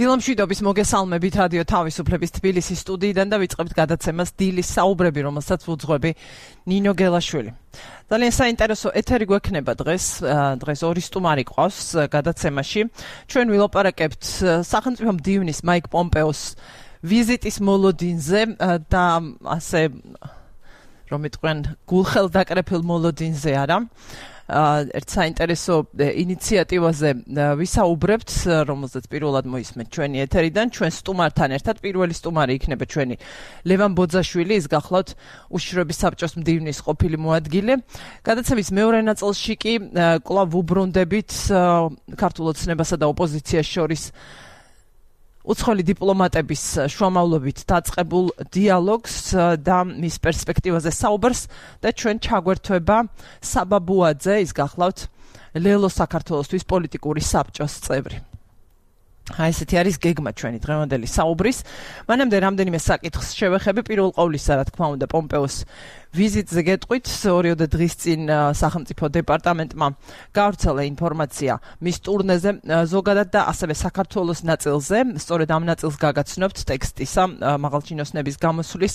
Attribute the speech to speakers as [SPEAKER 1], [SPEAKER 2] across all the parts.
[SPEAKER 1] დილამშვიდობის მოგესალმებით რადიო თავისუფლების თბილისის სტუდიიდან და ვიწყებთ გადაცემას დილის საუბრები, რომელსაც ვუძღვები ნინო გელაშვილი. ძალიან საინტერესო ეთერი გვექნება დღეს 2 სტუმარი ყავს გადაცემაში. ჩვენ ვილაპარაკებთ სახელმწიფო მდივნის მაიკ პომპეოს ვიზიტის მოლოდინზე და ასე რომ იტყვიან გულხელდაკრეფილ მოლოდინზე არა. ერთ საინტერესო ინიციატივაზე ვისაუბრებთ, რომელზეც პირველად მოისმენთ ჩვენი ეთერიდან. ჩვენ სტუმართან ერთად პირველი სტუმარი იქნება ჩვენი ლევან ბოძაშვილი, ის გახლავთ უშიშროების საბჭოს მდივნის ყოფილი მოადგილე. გადაცემის მეორე ნაწილში კი კვლავ ვუბრუნდებით ქართულ ოცნებასა და ოპოზიციას შორის უცხოელი დიპლომატების შუამავლობით დაწყებულ დიალოგს და მის პერსპექტივაზე საუბარს და ჩვენ ჩაგვერთვება საბაბუაძე, ის გახლავთ ლელო საქართველოსთვის პოლიტიკური საბჭოს წევრი. აი ესეთი არის გეგმა ჩვენი დღევანდელი საუბრის. მანამდე რამდენიმე საკითხს შევეხები. პირველ ყოვლისა, რა თქმა უნდა, პომპეოს ვიზიტზე გეტყვით. 2 დღის წინ სახელმწიფო დეპარტამენტმა გავრცელა ინფორმაცია მის ტურნეზე ზოგადად და ასევე საქართველოს ნაწილზე. სწორედ ამ ნაწილს გაგაცნობთ ტექსტისა მაღალჩინოსნების გამოსვლის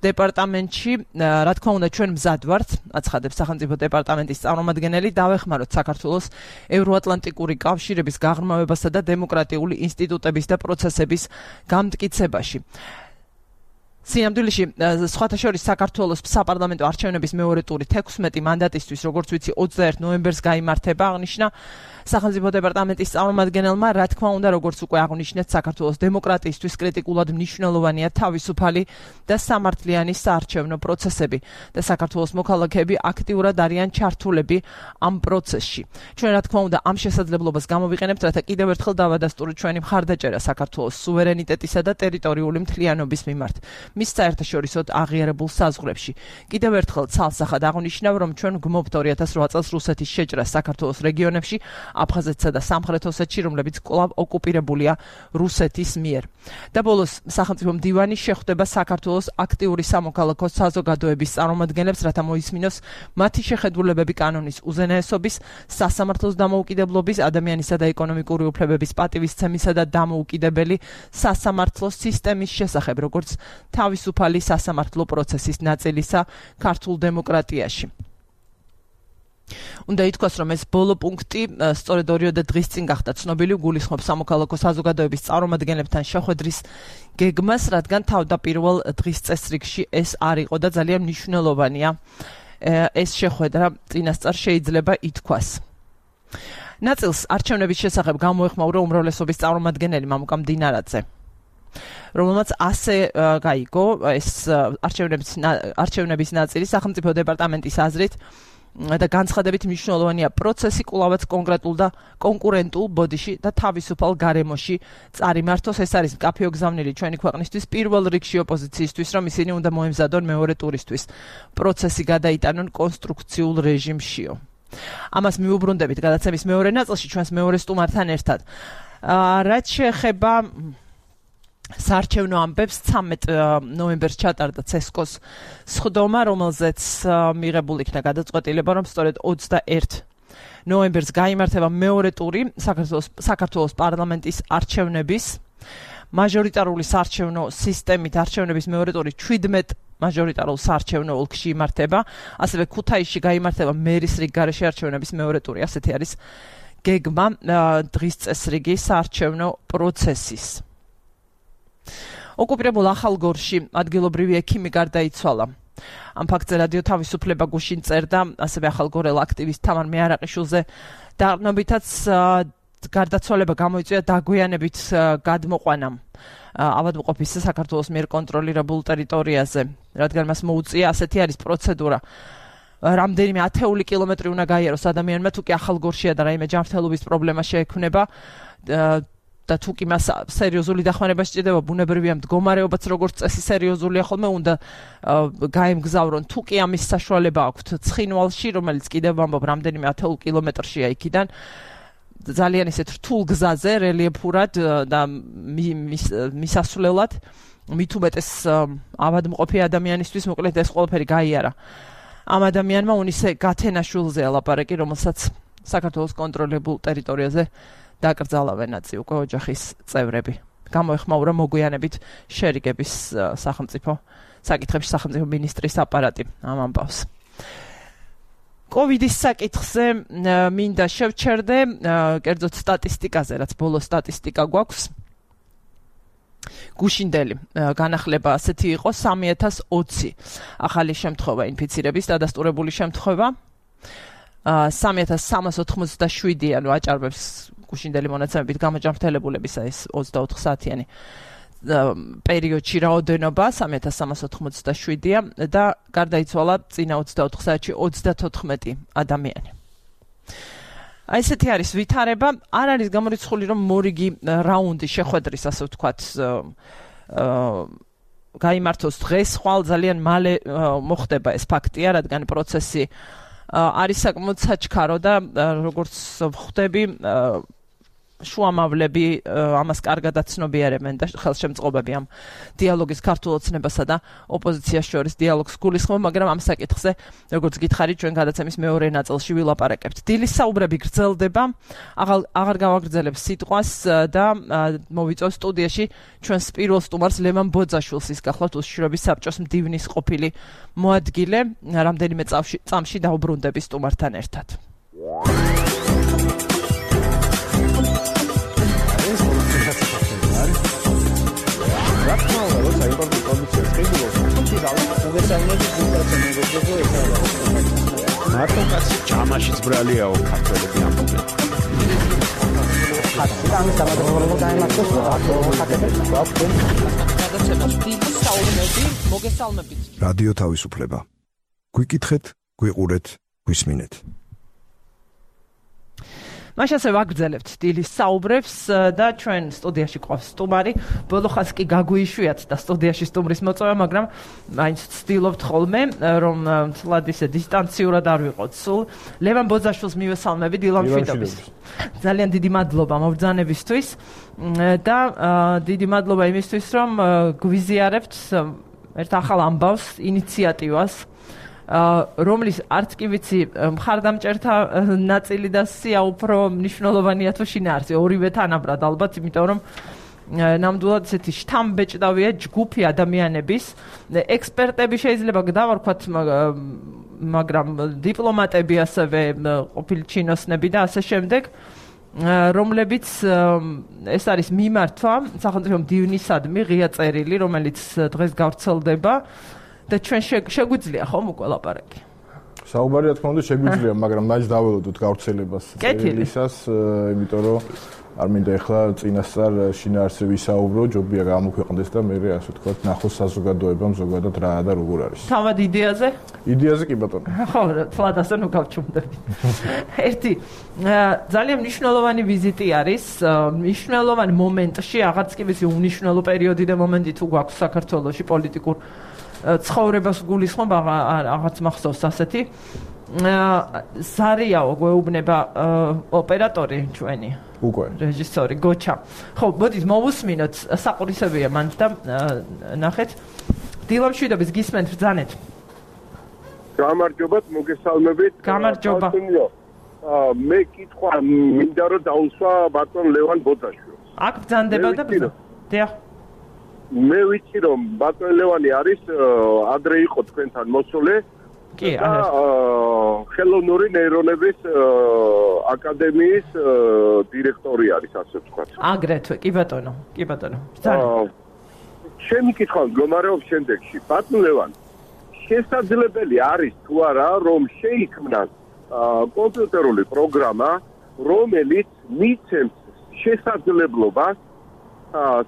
[SPEAKER 1] დეპარტამენტში. რა თქმა უნდა, ჩვენ მზად ვართ, აცხადებს სახელმწიფო დეპარტამენტის წარმომადგენელი, დავეხმაროთ საქართველოს ევროატლანტიკური კავშირების გაღრმავებასა და დემოკრატიული ინსტიტუტების და პროცესების გამტკიცებაში. სინამდვილეში, სხვათა შორის საქართველოს საპარლამენტო არჩევნების მეორე ტური 16 მანდატისთვის, როგორც ვიცი, 21 ნოემბერს გაიმართება, აღნიშნა სახელმწიფო დეპარტამენტის წარმომადგენელმა. რა თქმა უნდა, როგორც უკვე აღნიშნეთ, საქართველოს დემოკრატიისთვის კრიტიკულად მნიშვნელოვანია თავისუფალი და სამართლიანი საარჩევნო პროცესები და საქართველოს მოქალაქეები აქტიურად არიან ჩართულები ამ პროცესში. ჩვენ რა თქმა უნდა ამ შესაძლებლობას გამოვიყენებთ, რათა კიდევ ერთხელ დავადასტუროთ ჩვენი მხარდაჭერა საქართველოს სუვერენიტეტისა და ტერიტორიული მთლიანობის მიმართ. მის საერთაშორისო აღიარებულ საზღვრებში. კიდევ ერთხელ ცალსახად აღნიშნავ, რომ ჩვენ გვმობთ 2008 წელს რუსეთის შეჭრას საქართველოს რეგიონებში, აფხაზეთსა და სამხრეთ ოსეთში, რომლებიც კვლავ ოკუპირებულია რუსეთის მიერ. და ბოლოს სახელმწიფო მდივანი შეხვდება საქართველოს აქტიური სამოქალაქო საზოგადოების წარმომადგენლებს, რათა მოისმინოს მათი შეხედულებები კანონის უზენაესობის, სასამართლოს დამოუკიდებლობის, ადამიანისა და ეკონომიკური უფლებების პატივისცემისა და დამოუკიდებელი სასამართლოს სისტემის შესახებ, როგორც თავისუფალი სასამართლო პროცესის ნაწილისა ქართულ დემოკრატიაში. უნდა ითქვას, რომ ეს ბოლო პუნქტი სწორედ 2 დღის წინ გახდა ცნობილი, გულისხმობს სამოქალაქო საზოგადოების წარმომადგენლებთან შეხვედრის გეგმას, რადგან თავდაპირველ დღის წესრიგში ეს არ იყო და ძალიან მნიშვნელოვანია ეს შეხვედრა, წინასწარ შეიძლება ითქვას. ნაწილს არჩევნების შესახებ გამოეხმაურა უმრავლესობის წარმომადგენელი მამუკა მდინარაძე, რომელმაც ასე გაიგო ეს არჩევნების ნაწილი სახელმწიფო დეპარტამენტის აზრით და განცხადებით მნიშვნელოვანია პროცესი კვლავაც კონკრეტულ და კონკურენტულ ბოდიში და თავისუფალ გარემოში წარიმართოს. ეს არის მკაფიო გზავნილი ჩვენი ქვეყნისთვის, პირველ რიგში ოპოზიციისთვის, რომ ისინი უნდა მოემზადონ მეორე ტურისთვის პროცესი გადაიტანონ კონსტრუქციულ რეჟიმშიო. ამას მიუბრუნდებით გადაცემის მეორე ნაწილში ჩვენს მეორე სტუმართან ერთად. რაც შეეხება საარჩევნო ამბებს, 13 ნოემბერს ჩატარდა ცესკოს სხდომა, რომელზეც მიღებული იქნა გადაწყვეტილება, რომ სწორედ 21 ნოემბერს გაიმართება მეორე ტური საქართველოს პარლამენტის არჩევნების. მაჟორიტარული საარჩევნო სისტემით არჩევნების მეორე ტური 17 მაჟორიტარულ საარჩევნო ოლქში იმართება, ასევე ქუთაისში გაიმართება მერის რიგ გარეშე არჩევნების მეორე ტური. ასეთი არის გეგმა დღის წესრიგი საარჩევნო პროცესის. ოკუპირებულ ახალგორში ადგილობრივი ექიმი გარდაიცვალა. ამ ფაქტზე რადიო თავისუფლება გუშინ წერდა, ასევე ახალგორელ აქტივისტ თამარ მეარაყიშვილზე დაყრდნობითაც გარდაცვალება გამოიწვია დაგვიანებით გადმოყვანამ ავადმყოფის საქართველოს მიერ კონტროლირებულ ტერიტორიაზე, რადგან მას მოუწია, ასეთი არის პროცედურა. რამდენიმე 10 კილომეტრი უნდა გაიაროს ადამიანმა, თუ კი ახალგორშია და რაიმე ჯანმრთელობის პრობლემა შეექმნება და თუ კი მას სერიოზული დახმარება სჭირდება, ბუნებრივია მდგომარეობაც როგორც წესი სერიოზულია ხოლმე, უნდა გაემგზავრონ. თუ კი ამის საშუალება აქვთ ცხინვალში, რომელიც კიდევ ვამბობ რამდენიმე 10 კილომეტრშია იქიდან, ძალიან ისეთ რთულ გზაზე, რელიეფურად და მისასვლელად, მით უმეტეს ავადმყოფი ადამიანისთვის, მოკლედ ეს ყველაფერი გაიარა. ამ ადამიანმა უნისე გათენაშვილზე ლაპარაკი, რომელსაც საქართველოს კონტროლებულ ტერიტორიაზე დაკრძალავენ აწი უკვე ოჯახის წევრები. გამოეხმაურა მოგვიანებით შერიგების სახელმწიფო საკითხებში სახელმწიფო მინისტრის აპარატი ამ ამბავს. COVID-ის საკითხზე მინდა შევჩერდე, კერძოდ სტატისტიკაზე, რაც ბოლო სტატისტიკა გვაქვს. გუშინდელი განახლება ასეთი იყო 3020 ახალი შემთხვევა ინფიცირების დადასტურებული შემთხვევა. 3387 ანუ აჭარბებს გუშინდელი მონაცემებით გამოჯანმრთელებულებისა ეს 24 საათიანი პერიოდში რაოდენობა 3387-ია და გარდაიცვალა წინა 24 საათში 34 ადამიანი. აი ესეთი არის ვითარება, არ არის გამორიცხული რომ მორიგი რაუნდი შეხვედრის ასე ვთქვათ გაიმართოს დღეს, ხვალ ძალიან მალე მოხდება ეს ფაქტია, რადგან პროცესი არის საკმაოდ საჩქარო და როგორც ხვდები შუამავლები ამას კარგადაც ცნობიერებენ და ხელშემწყობები ამ დიალოგის ქართულ ოცნებასა და ოპოზიციას შორის დიალოგს გულისხმობ, მაგრამ ამ საკითხზე როგორც გითხარით ჩვენ გადაცემის მეორე ნაწილში ვილაპარაკებთ. დილის საუბრები გრძელდება, აღარ გავაგრძელებ სიტყვას და მოვიწევ სტუდიაში ჩვენს პირველ სტუმარს ლევან ბოძაშვილს, ის გახლავთ უსიშროების საბჭოს მდივნის ყოფილი მოადგილე, რამდენიმე წამში დაუბრუნდები სტუმართან ერთად.
[SPEAKER 2] მარტო კაცი ჯამაშიც ბრალიაო ქართველები ამბობენ.
[SPEAKER 3] რადიო თავისუფლება. გვიკითხეთ, გვიყურეთ, გვისმინეთ.
[SPEAKER 1] მაშასე ვაგრძელებთ დილის საუბრებს და ჩვენ სტუდიაში ყავს სტუმარი. ბოლოხას კი გაგვიშვიათ და სტუდიაში სტუმრის მოწვევა, მაგრამ მაინც ვცდილობთ ხოლმე რომ ცლად ისე დისტანციურად არ ვიყოთ სულ. ლევან ბოძაშვილს მივესალმები დილამშვიდობის. ძალიან დიდი მადლობა მობრძანებისთვის და დიდი მადლობა იმისთვის რომ გვიზიარებთ ერთ ახალ ამბავს, ინიციატივას, რომლის არც კი ვიცი მხარდამჭერთა ნაწილი და სია უფრო მნიშვნელოვანია თუ შინაარსი, ორივე თანაბრად ალბათ, იმიტომ რომ ნამდვილად ესეთი შთამბეჭდავია ჯგუფი ადამიანების, ექსპერტები შეიძლება დავარქვათ, მაგრამ დიპლომატები ასევე, ყოფილი ჩინოსნები და ასე შემდეგ, რომლებიც ეს არის მიმართვა სახელმწიფო მდივნისადმი ღია წერილი, რომელიც დღეს გავრცელდება და ჩვენ შეგვიძლია ხომ უკვე ლაპარაკი.
[SPEAKER 4] საუბარი რა თქმა უნდა შეგვიძლია, მაგრამ მაინც დაველოდოთ გავრცელებას წერილისას, იმიტომ რომ არ მინდა ეხლა წინასწარ შინაარსზე ვისაუბრო, ჯობია გამოქვეყნდეს და მე ასე ვთქვათ, ნახოს საზოგადოებამ ზოგადად რა და როგორ არის.
[SPEAKER 1] თავად იდეაზე?
[SPEAKER 4] იდეაზე კი ბატონო.
[SPEAKER 1] ხო, თლად ასე ნუ გავჩუმდები. ერთი ძალიან მნიშვნელოვანი ვიზიტი არის, მნიშვნელოვანი მომენტში, აღარც კი ვიცი უნიშნელო პერიოდი და მომენტი თუ გვაქვს საქართველოში პოლიტიკურ ცხოვრებას გულისხმობ, აღარც მახსოვს ასეთი. ზარიაო გვეუბნება ოპერატორი ჩვენი.
[SPEAKER 4] უკვე.
[SPEAKER 1] რეჟისორი გოჩა. ხო, მოდით მოვუსმინოთ, საყურისებია მანდ და ნახეთ. დილამშვიდობის გისმენთ ბრძანეთ.
[SPEAKER 5] გამარჯობათ, მოგესალმებით.
[SPEAKER 1] გამარჯობა.
[SPEAKER 5] მე კითხვა მინდა რომ დაუსვა ბატონ ლევან ბოძაშვილს.
[SPEAKER 1] აქ ბრძანდება და დიახ.
[SPEAKER 5] მე ვიცი რომ ბატონ ლევანი არის ადრე იყო თქვენთან მოსული.
[SPEAKER 1] კი,
[SPEAKER 5] ხელოვნური ნეირონების აკადემიის დირექტორი არის, ასე ვთქვათ.
[SPEAKER 1] აგრეთვე, კი ბატონო, კი ბატონო. ბრძანეთ.
[SPEAKER 5] ჩემი კითხვა მდგომარეობს შემდეგში. ბატონ ლევან, შესაძლებელი არის თუ არა რომ შეიქმნას კომპიუტერული პროგრამა, რომელიც მიცემს შესაძლებლობას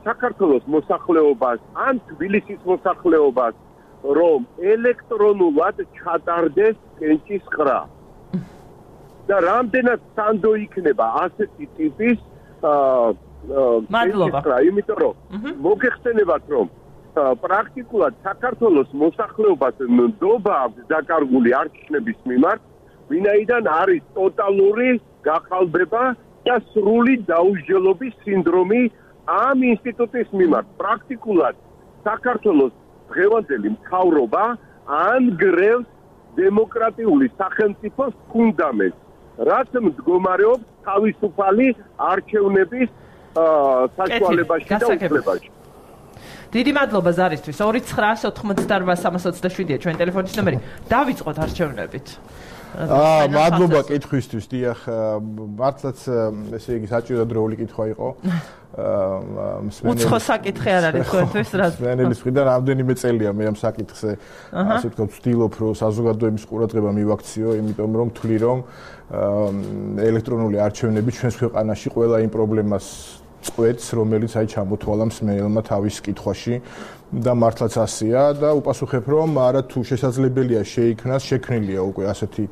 [SPEAKER 5] საქართველოს მოსახლეობას ან თბილისის მოსახლეობას რომ ელექტრონულად ჩატარდეს კენჭის ყრა. და რამდენად სანდო იქნება ასეთი ტიპის
[SPEAKER 1] მადლობა.
[SPEAKER 5] იმიტომ რომ მოგეხსენებათ რომ პრაქტიკულად საქართველოს მოსახლეობას ნდობა აქვს დაკარგული არჩევნების მიმართ, ვინაიდან არის ტოტალური გახალბება და სრული დაუსჯელობის სინდრომი ამ ინსტიტუტის მიმართ. პრაქტიკულად საქართველოს დღევანდელი მთავრობა ანგრევს დემოკრატიული სახელმწიფოს ფუნდამენტს. რაც მდგომარეობს თავისუფალი არჩევნების საშუალებაში და უფლებაში.
[SPEAKER 1] დიდი მადლობა ზარისთვის. 2988327-ია ჩვენი ტელეფონის ნომერი. დავიწყოთ არჩევნებით.
[SPEAKER 4] მადლობა კითხვისთვის. დიახ, მართლაც ესე იგი საჭირო დროული კითხვა იყო.
[SPEAKER 1] უცხო საკითხი არ არის თქვენთვის რა.
[SPEAKER 4] მსმენელის მხრიდან რამდენიმე წელია მე ამ საკითხზე ასე ვთქვათ ვცდილობ რომ საზოგადოების ყურადღება მივაქციო, იმიტომ რომ თვლი რომ ელექტრონული არჩევნები ჩვენს ქვეყანაში ყველა იმ პრობლემას წყვეტს, რომელიც აი ჩამოთვალა მსმენელმა თავის კითხვაში და მართლაც ასეა და უპასუხებ რომ არა თუ შესაძლებელია შეიქმნას, შექმნილია უკვე ასეთი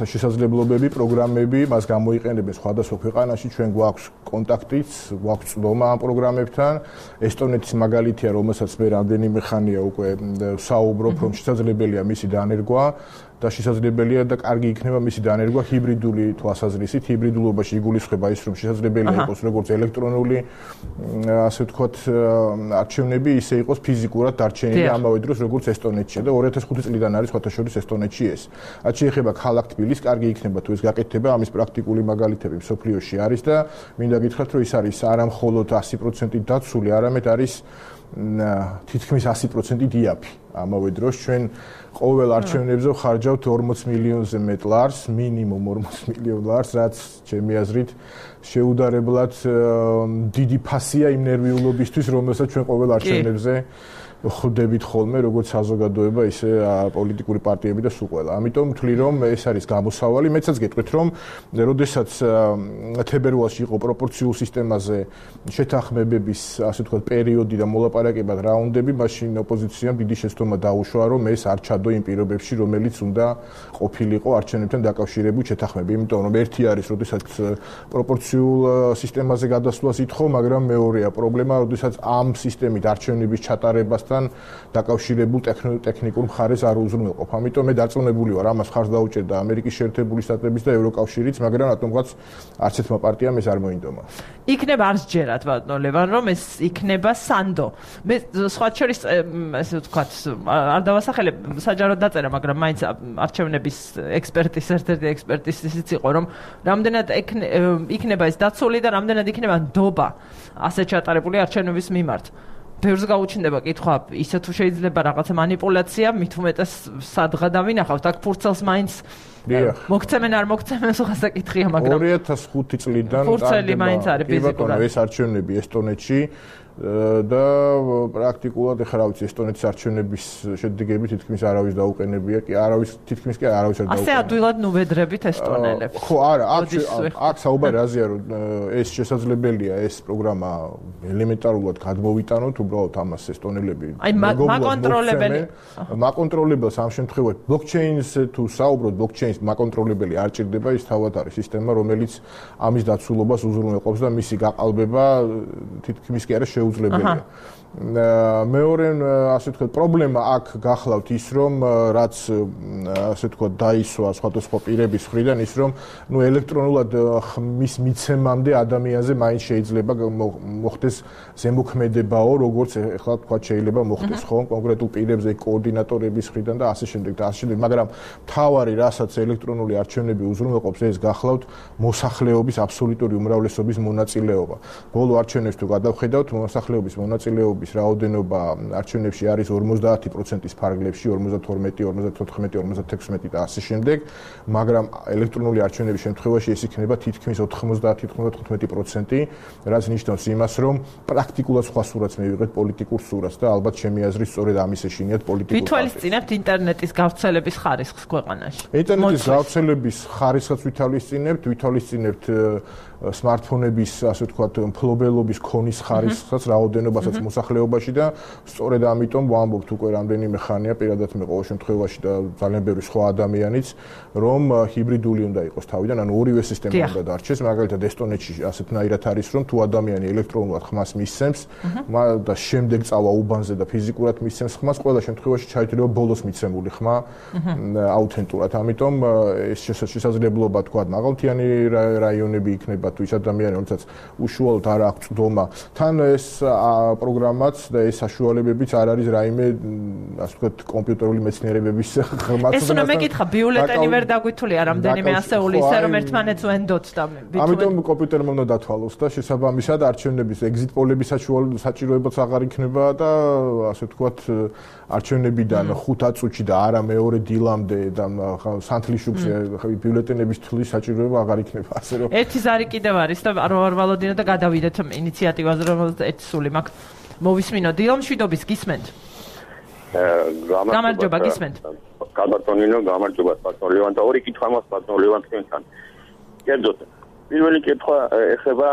[SPEAKER 4] შესაძლებლობები, პროგრამები, მას გამოიყენებენ სხვადასხვა ქვეყანაში, ჩვენ გვაქვს კონტაქტიც, გვაქვს წვდომა ამ პროგრამებთან. ესტონეთის მაგალითია, რომელსაც მე რამდენიმე ხანია უკვე საუბრობ, რომ შესაძლებელია მისი დანერგვა და შესაძლებელია და კარგი იქნება მისი დანერგვა ჰიბრიდული თვალსაზრისით. ჰიბრიდულობაში იგულისხმება ის, რომ შესაძლებელია იყოს როგორც ელექტრონული, ასე ვთქვათ, არჩევნები, ისე იყოს ფიზიკურად დარჩენილი ამავე დროს როგორც ესტონეთში და 2005 წლიდან არის სხვათა შორის ესტონეთში ეს. რაც შეეხება ქალაქ თბილისს, კარგი იქნება თუ ეს გაკეთდება, ამის პრაქტიკული მაგალითები მსოფლიოში არის და მინდა გითხრათ, რომ ის არის არა მხოლოდ 100% დაცული, არამედ არის თითქმის 100% დიაფი. ამავე დროს ჩვენ ყოველ არჩევნებზე ხარჯავთ 40 მილიონზე მეტ ლარს, მინიმუმ 40 მილიონ ლარს, რაც ჩემი აზრით შეუდარებლად დიდი ფასია იმ ნერვიულობისთვის, რომელსაც ჩვენ ყოველ არჩევნებზე ხვდებით ხოლმე, როგორც საზოგადოება, ისე პოლიტიკური პარტიები და სულ ყველა. ამიტომ ვთვლი, რომ ეს არის გამოსავალი. მეცაც გეტყვით, რომ როდესაც თებერვალში იყო პროპორციულ სისტემაზე შეთანხმებების, ასე ვთქვათ, პერიოდი და მოლაპარაკებად რაუნდები, მაშინ ოპოზიციამ დიდი შეცდომა დაუშვა, რომ ეს არ ჩადო იმ პირობებში, რომელიც უნდა ყოფილიყო არჩევნებთან დაკავშირებული შეთანხმები. იმიტომ რომ ერთი არის, როდესაც პროპორციულ სისტემაზე გადასვლას ითხოვ, მაგრამ მეორეა პრობლემა, როდესაც ამ სისტემით არჩევნების ჩატარებას დაკავშირებულ ტექნიკურ მხარეს არ უზრუნველყოფ. ამიტომ მე დარწმუნებული ვარ, ამას ხარს დაუჭერდა ამერიკის შეერთებული შტატების და ევროკავშირიც, მაგრამ რატომღაც არც ერთმა პარტიამ ეს არ მოინდომა.
[SPEAKER 1] იქნება არც ჯერათ ბატონო ლევან, რომ ეს იქნება სანდო. მე სხვა შორის ესე ვთქვათ, არ დავასახელებ, საჯაროდ დაწერა, მაგრამ მაინც არჩევნების ექსპერტის ერთ-ერთი ექსპერტის ისიც იყო, რომ რამდენად იქნება ეს დაცული და რამდენად იქნება ნდობა ასე ჩატარებული არჩევნების მიმართ. ბევრს გაუჩნდება კითხვა, ისე თუ შეიძლება რაღაცა манипуляცია, მით უმეტეს სადღა დავინახავთ, აქ ფურცელს მაინც მოგცემენ არ მოგცემენ სხვა საკითხია, მაგრამ
[SPEAKER 4] 2005 წლიდან
[SPEAKER 1] ფურცელი მაინც არის ფიზიკურად.
[SPEAKER 4] ეს არჩევნები ესტონეთში და პრაქტიკულად ეხლა რა ვიცი ესტონეთის არჩევნების შედეგები თითქმის არავის დაუყენებია, კი არავის თითქმის კი არავის არ დაუყენებია.
[SPEAKER 1] ასე ადვილად ნუბედრებით ესტონელებს.
[SPEAKER 4] ხო, არა, აქ საუბარი რაზეა, რომ ეს შესაძლებელია ეს პროგრამა ელემენტარულად გადმოვიტანოთ, უბრალოდ ამას ესტონელები მაკონტროლებელს ამ შემთხვევაში ბლოკჩეინს თუ საუბრობთ, ბლოკჩეინს მაკონტროლებელი არ ჭირდება, ის თავად არის სისტემა, რომელიც ამის დაცულობას უზრუნველყოფს და მისი გაყალბება თითქმის კი არა შეუძლებელია. მეორე ასე ვთქვათ პრობლემა აქ გახლავთ ის რომ რაც ასე ვთქვათ დაისვა სხვადასხვა პირების მხრიდან ის რომ ნუ ელექტრონულად მის მიცემამდე ადამიანზე მაინც შეიძლება მოხდეს ზემოქმედებაო როგორც ეხლა თქვა შეიძლება მოხდეს ხო კონკრეტულ პირებზე კოორდინატორების მხრიდან და ასე შემდეგ და ასე შემდეგ მაგრამ თავარი რასაც ელექტრონული არჩევნები უზრუნველყოფს ეს გახლავთ მოსახლეობის აბსოლუტური უმრავლესობის მონაწილეობა ბოლო არჩევნებს თუ გადავხედავთ მოსახლეობის მონაწილეობის რაოდენობა არჩევნებში არის 50%-ის ფარგლებში 52, 54, 56 და ასე შემდეგ, მაგრამ ელექტრონული არჩევნების შემთხვევაში ეს იქნება თითქმის 90-95%, რაც ნიშნავს იმას, რომ პრაქტიკულად სხვა სურათს მივიღეთ პოლიტიკურ სურათს და ალბათ ჩემი აზრით სწორედ ამის ეშინიათ პოლიტიკურ.
[SPEAKER 1] ვითვალისწინებთ ინტერნეტის გავრცელების ხარისხს ქვეყანაში.
[SPEAKER 4] ინტერნეტის გავრცელების ხარისხს ვითვალისწინებთ smartphone-ების, ასე ვთქვათ, მფლობელობის ქონის ხარისხსაც, რაოდენობასაც მოსახლეობაში და სწორედ ამიტომ ვამბობთ უკვე რამდენიმე ხანია, პირადად მე ყოველ შემთხვევაში და ძალიან ბევრი სხვა ადამიანიც, რომ ჰიბრიდული უნდა იყოს თავიდან, ანუ ორივე სისტემა უნდა დარჩეს, მაგალითად ესტონეთში ასეთნაირად არის, რომ თუ ადამიანი ელექტრონულად ხმას მისცემს და შემდეგ წავა უბანზე და ფიზიკურად მისცემს ხმას, ყველა შემთხვევაში ჩაითვლება ბოლოს მიცემული ხმა აუთენტურად. ამიტომ ეს შესაძლებლობა, თქვა, მაღალმთიანი რაიონები იქნება იქნება თუ ის ადამიანი, რომელსაც უშუალოდ არ აქვს წვდომა, თან ეს პროგრამაც და ეს საშუალებებიც არ არის რაიმე, ასე ვთქვათ, კომპიუტერული მეცნიერებების ხმასთან.
[SPEAKER 1] ეს უნდა მეკითხა, ბიულეტენი ვერ დაგვითვლია რამდენიმე ასეული, ისე რომ ერთმანეთს ვენდოთ და
[SPEAKER 4] ამიტომ კომპიუტერმა უნდა დათვალოს და შესაბამისად არჩევნების ეგზიტ პოლების საჭიროებაც აღარ იქნება და ასე ვთქვათ, არჩევნებიდან 5 წუთში და არა მეორე დილამდე და სანთლიშუბს ბიულეტენების თვლის საჭიროება აღარ იქნება, ასე რომ
[SPEAKER 1] ერთი ზარი კიდევ არის და არ ვალოდინო და გადავიდეთ ინიციატივაზე, რომელზეც ერთი სული მაქვს. მოვისმინო დილამ შვიდობის გისმენთ. გამარჯობა გისმენთ.
[SPEAKER 6] გაბატონინო, გამარჯობა ბატონ ლევან და ორი კითხვა მაქვს ბატონ ლევან თქვენთან. კერძოდ, პირველი კითხვა ეხება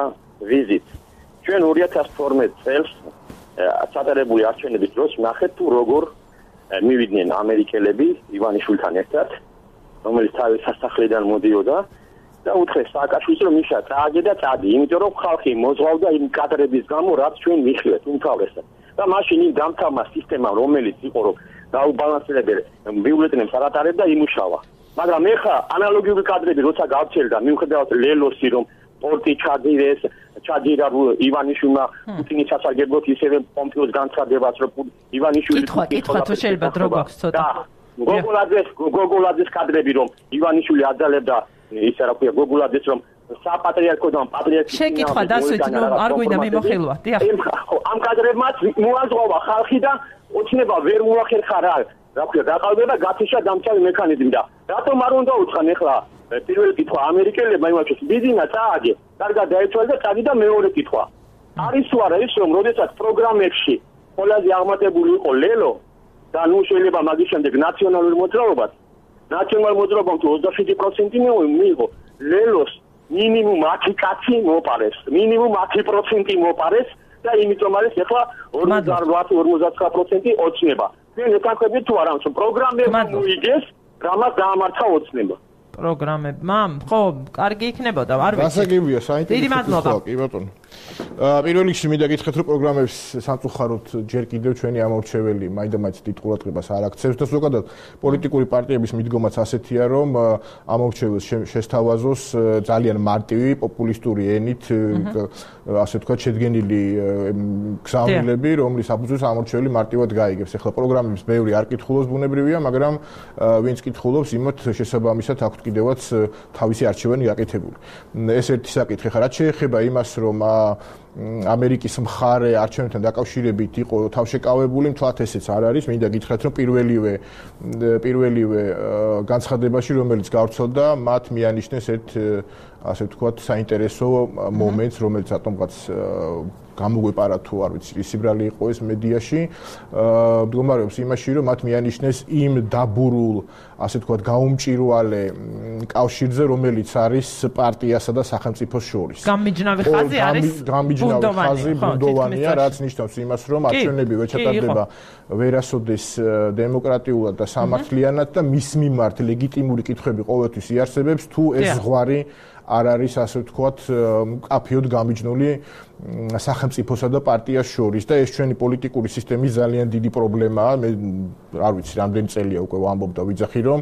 [SPEAKER 6] ვიზიტს. ჩვენ 2012 წელს სატარებული არჩევნების დროს ნახეთ თუ როგორ მივიდნენ ამერიკელები ივანიშვილთან ერთად, რომელიც თავის სასახლედან მოდიოდა და უთხრეს სააკაშვილს რომ იშა წააგე და წადი, იმიტომ რომ ხალხი მოძღავდა იმ კადრების გამო, რაც ჩვენ მიხილეთ უმთავრესად. და მაშინ იმ დამთავრდა სისტემა, რომელიც იყო რომ დაუბალანსებელ ბიულეტენებს არ ატარებდა, იმუშავა. მაგრამ ეხლა ანალოგიური კადრები როცა გავჩერდა, მიუხედავად ლელოსი რომ პორტი ჩაძირეს, ჩაძირა ივანიშვილმა პუტინის სასარგებლოდ ისევე პომპეოს განცხადებას, რომ ივანიშვილი
[SPEAKER 1] კითხვა თუ შეიძლება დრო გვაქვს ცოტა.
[SPEAKER 6] გოგოლაძეს კადრები რომ ივანიშვილი აძალებდა ისე რა ქვია გოგოლაძეს რომ საპატრიარქოდან პატრიარქის
[SPEAKER 1] შეკითხვა დასვით, ნუ არ გვინდა მიმოხილვა. დიახ.
[SPEAKER 6] ამ კადრებმაც მოაზღვა ხალხი და ოცნება ვერ მოახერხა რა ქვია დაყალბება გათიშა დამცავი მექანიზმი და რატომ არ უნდა უცხან ეხლა პირველი კითხვა ამერიკელებმა იმაჩვენეს ბიზინა წააგე, კარგად დაიცვალე და წადი და მეორე კითხვა. არის თუ არა ის რომ როდესაც პროგრამებში ყველაზე აღმატებული იყო ლელო და ნუ შეიძლება მაგის შემდეგ ნაციონალური მოძრაობა 27% მიიღო ლელოს მინიმუმ 10 კაცი მოპარეს, მინიმუმ 10% მოპარეს და იმიტომ არის ეხლა 58-59% ოცნება. ჩვენ ეთანხმებით თუ არა, რომ პროგრამებმა მოიგეს, რამაც დაამართა ოცნება.
[SPEAKER 1] პროგრამებმა, ხო, კარგი იქნებოდა, არ ვიცი.
[SPEAKER 4] გასაგებია, საინტერესო.
[SPEAKER 1] დიდი მადლობა.
[SPEAKER 4] კი ბატონო. პირველ რიგში მინდა გითხრათ, რომ პროგრამებს სამწუხაროდ ჯერ კიდევ ჩვენი ამორჩეველი მაინდა-მაინც დიდ ყურადღებას არ აქცევს და ზოგადად პოლიტიკური პარტიების მიდგომაც ასეთია, რომ ამორჩეველს შესთავაზოს ძალიან მარტივი პოპულისტური ენით, ასე ვთქვათ, შედგენილი გზავნილები, რომლის საფუძველს ამორჩეველი მარტივად გაიგებს. ეხლა პროგრამებს ბევრი არ კითხულობს ბუნებრივია, მაგრამ ვინც კითხულობს, იმათ შესაბამისად აქვთ კიდევაც თავისი არჩევანი გაკეთებული. ეს ერთი საკითხი ხარ, რაც შეეხება იმას, რომ ამერიკის მხარე არჩევნებთან დაკავშირებით იყო თავშეკავებული, მთლად ესეც არ არის. მინდა გითხრათ, რომ პირველივე განცხადებაში, რომელიც გავრცელდა, მათ მიანიშნეს ერთ ასე ვთქვათ, საინტერესო მომენტს, რომელიც რატომღაც გამოგვეპარა თუ არ ვიცი, სიბრალი იყო ეს მედიაში, მდგომარეობს იმაში, რომ მათ მიანიშნეს იმ დაბურულ, ასე ვთქვათ, გაუმჭირვალე კავშირზე, რომელიც არის პარტიასა და სახელმწიფოს შორის.
[SPEAKER 1] გამიჯნავი ხაზი არის
[SPEAKER 4] ბუნდოვანია, რაც ნიშნავს იმას, რომ არჩევნები ვეჩატარდება ვერასოდეს დემოკრატიულად და სამართლიანად და მის მიმართ ლეგიტიმური კითხვები ყოველთვის იარსებებს, თუ ეს ზღვარი არ არის, ასე ვთქვათ, მკაფიოდ გამიჯნული სახელმწიფოსა და პარტიას შორის და ეს ჩვენი პოლიტიკური სისტემის ძალიან დიდი პრობლემაა. მე არ ვიცი, რამდენი წელია უკვე ვამბობ და ვიძახი, რომ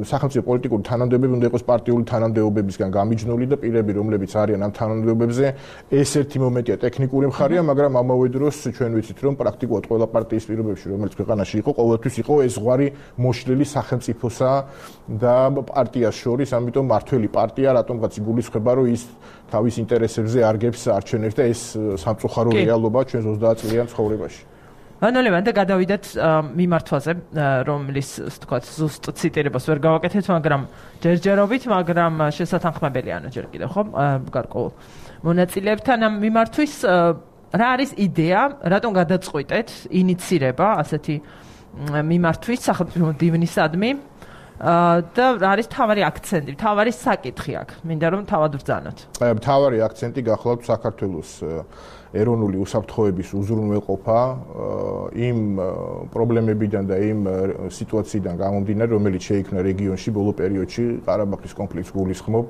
[SPEAKER 4] სახელმწიფო პოლიტიკური თანამდებობები უნდა იყოს პარტიული თანამდებობებისგან გამიჯნული და პირები, რომლებიც არიან ამ თანამდებობებზე, ეს ერთი მომენტია ტექნიკური მხარეა, მაგრამ ამავე დროს ჩვენ ვიცით, რომ პრაქტიკულად ყველა პარტიის პირობებში, რომელიც ქვეყანაში იყო, ყოველთვის იყო ეს ზღვარი მოშლილი სახელმწიფოსა და პარტიას შორის, ამიტომ მართველი პარტია რატომღაც იგულისხმება, რომ ის თავის ინტერესებზე არგებს არჩევნებს და ეს სამწუხარო რეალობაა ჩვენ 30 წლიან ცხოვრებაში.
[SPEAKER 1] ბატონო, და გადავიდეთ მიმართვაზე, რომლის, ვთქვათ, ზუსტ ციტირებას ვერ გავაკეთეთ, მაგრამ ჯერჯერობით, მაგრამ შესათანხმებელია ჯერ კიდევ, ხო? გარკვეულ მონაწილეებთან ამ მიმართვის რა არის იდეა, რატომ გადაწყვიტეთ ინიცირება ასეთი მიმართვის სახელმწიფო დივნისადმი? და არის თავარი აქცენტი, თავარი საკითხი აქ. მინდა რომ თავად ვბრძანოთ.
[SPEAKER 4] თავარი აქცენტი გახლავთ საქართველოს ეროვნული უსაფრთხოების უზრუნველყოფა იმ პრობლემებიდან და იმ სიტუაციიდან გამომდინარე, რომელიც შეიქმნა რეგიონში ბოლო პერიოდში, ყარაბაღის კონფლიქტს გულისხმობ,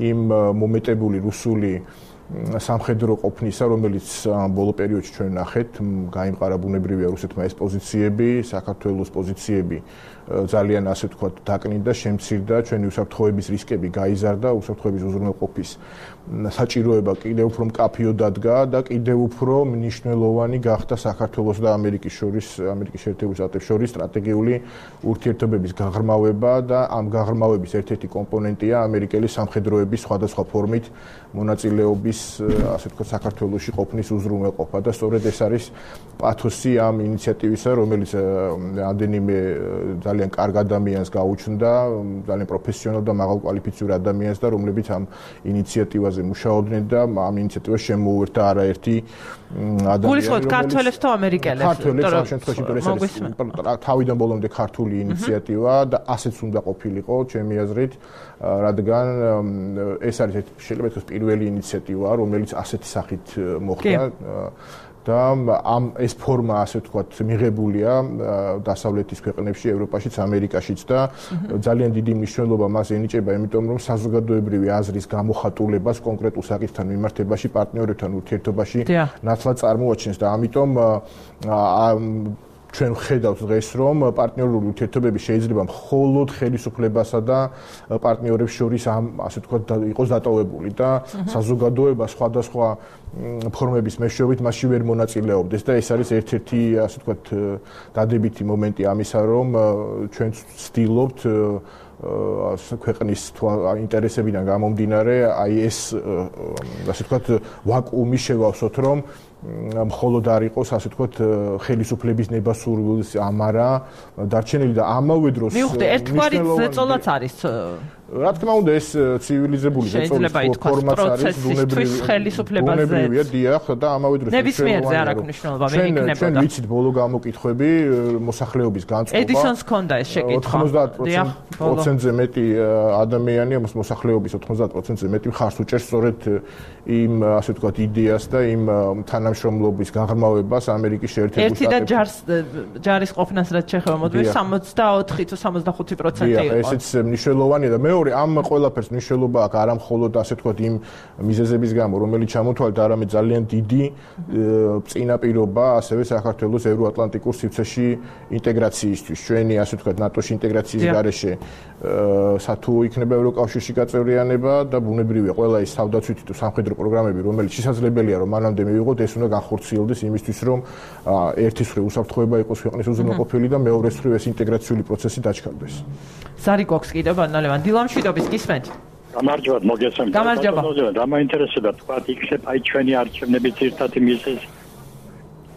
[SPEAKER 4] იმ მომეტებული რუსული სამხედრო ყოფნისა, რომელიც ბოლო პერიოდში ჩვენ ნახეთ, გაიმყარა ბუნებრივია რუსეთმა ეს პოზიციები, საქართველოს პოზიციები ძალიან ასე ვთქვათ დაკნინდა, შემცირდა, ჩვენი უსაფრთხოების რისკები გაიზარდა, უსაფრთხოების უზრუნველყოფის საჭიროება კიდევ უფრო მკაფიოდ დადგა და კიდევ უფრო მნიშვნელოვანი გახდა საქართველოს და ამერიკის შეერთებული შტატების შორის სტრატეგიული ურთიერთობების გაღრმავება და ამ გაღრმავების ერთ-ერთი კომპონენტია ამერიკელი სამხედროების სხვადასხვა ფორმით მონაწილეობის ასე ვთქვათ საქართველოში ყოფნის უზრუნველყოფა და სწორედ ეს არის პათოსი ამ ინიციატივისა, რომელიც ამდენიმე ძალიან კარგ ადამიანს გაუჩნდა, ძალიან პროფესიონალ და მაღალკვალიფიციურ ადამიანს და რომლებიც ამ ინიციატივაზე მუშაობდნენ და ამ ინიციატივას შემოუერთდა არაერთი ადამიანი.
[SPEAKER 1] გულისხმობთ ქართველებს თუ ამერიკელებს?
[SPEAKER 4] ქართველებს ამ შემთხვევაში თავიდან ბოლომდე ქართული ინიციატივა და ასეც უნდა ყოფილიყო, ჩემი აზრით, რადგან ეს არის შეიძლება ითქვას პირველი ინიციატივა, რომელიც ასეთი სახით მოხდა. და ეს ფორმა ასე ვთქვათ მიღებულია დასავლეთის ქვეყნებში, ევროპაშიც, ამერიკაშიც და ძალიან დიდი მნიშვნელობა მას ენიჭება, იმიტომ რომ საზოგადოებრივი აზრის გამოხატულებას კონკრეტულ საკითხთან მიმართებაში პარტნიორებთან ურთიერთობაში ნაცვლად წარმოაჩენს და ამიტომ ჩვენ ვხედავთ დღეს, რომ პარტნიორული ურთიერთობები შეიძლება მხოლოდ ხელისუფლებასა და პარტნიორებს შორის ასე ვთქვათ იყოს დატოვებული და საზოგადოება სხვადასხვა ფორმების მეშვეობით მასში ვერ მონაწილეობდეს და ეს არის ერთ-ერთი ასე ვთქვათ დადებითი მომენტი ამისა, რომ ჩვენ ვცდილობთ ქვეყნის ინტერესებიდან გამომდინარე აი ეს ასე ვთქვათ ვაკუუმი შევავსოთ, რომ მხოლოდ არ იყოს ასე ვთქვათ ხელისუფლების ნებასურვილის ამარა დარჩენილი და ამავე დროს
[SPEAKER 1] მივხვდი ერთგვარი ზეწოლაც არის
[SPEAKER 4] რა თქმა უნდა ეს ცივილიზებული ზეწოლის ფორმაც არის
[SPEAKER 1] ბუნებრივი ხელისუფლებაზე
[SPEAKER 4] დიახ და ამავე დროს
[SPEAKER 1] ნებისმიერზე არ აქვს მნიშვნელობა მე იქნებოდა
[SPEAKER 4] ჩვენ ვიცით ბოლო გამოკითხვები მოსახლეობის განწყობა
[SPEAKER 1] ედისონს ჰქონდა ეს შეკითხვა
[SPEAKER 4] 90%-ზე მეტი ადამიანი მოსახლეობის 90%-ზე მეტი მხარს უჭერს სწორედ იმ ასე ვთქვათ იდეას და იმ თანამშრომლობის გაღრმავებას ამერიკის შეერთებულ შტატებში.
[SPEAKER 1] ერთი და ჯარის ყოფნას რაც შეეხება მოდიოს 64 თუ 65% იყო.
[SPEAKER 4] ესეც მნიშვნელოვანია და მეორე ამ ყველაფერს მნიშვნელობა აქვს არა მხოლოდ ასე ვთქვათ იმ მიზეზების გამო, რომელიც ჩამოთვალეთ, არამედ ძალიან დიდი წინაპირობა ასევე საქართველოს ევროატლანტიკურ სივრცეში ინტეგრაციისთვის. ჩვენი ასე ვთქვათ ნატოში ინტეგრაციის გარეშე თუ იქნება ევროკავშირში გაწევრიანება და ბუნებრივია ყველა ის თავდაცვითი თუ სამხედრო პროგრამები, რომელიც შესაძლებელია რომ მანამდე მივიღოთ, ეს უნდა განხორციელდეს იმისთვის, რომ ერთის მხრივ უსაფრთხოება იყოს ქვეყნის უზრუნველყოფილი და მეორეს მხრივ ეს ინტეგრაციული პროცესი დაჩქარდეს.
[SPEAKER 1] ზარი გვაქვს კიდევ ბანალევან დილამშვიდობის გისმენთ.
[SPEAKER 7] გამარჯობა, მოგესალმებით.
[SPEAKER 1] გამარჯობა.
[SPEAKER 7] და მაინტერესებდა თქვა იქნებ აი ჩვენი არჩევნების ერთადი მიზეზი.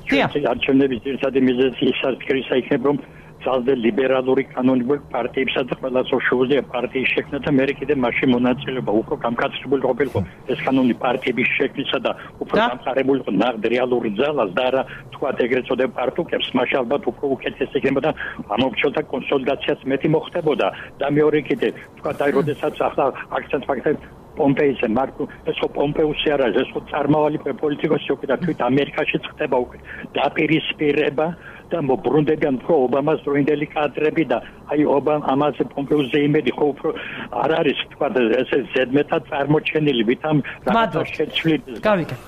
[SPEAKER 7] ჩვენი არჩევნების ერთადი მიზეზი ის არის, იქნებ რომ ძალზე ლიბერალური კანონიკური პარტიებსა და ყველა სოციალისტური პარტიის შექმნა და მე კიდე მასში მონაწილეობა უფრო გამკაცრებული ყოფილიყო ეს კანონი პარტიების შექმნისა და უფრო გამყარებულიყო ნაღდ რეალური ძალას და არა თქვა ეგრეთ წოდებულ პარტიებს მას ალბათ უფრო უკეთესი იქნებოდა ამორჩეულთა კონსოლიდაციაც მეტი მოხდებოდა და მეორე კიდე თქვა აი როდესაც ახლა აქცენტ ფაქტებს პომპეიზე მარკო ეს ხო პომპეუსი არა ეს ხო წარმავალი პოლიტიკოსი უკვე და თვით ამერიკაში ხდება უკვე დაპირისპირება და მობრუნდებიან უფრო ობამას დროინდელი კადრები და აი ამაზე პომპეუსზე იმედი ხო უფრო არ არის თქვა ესე ზედმეტად წარმოჩენილი ვითამ რაღაცა შეცვლით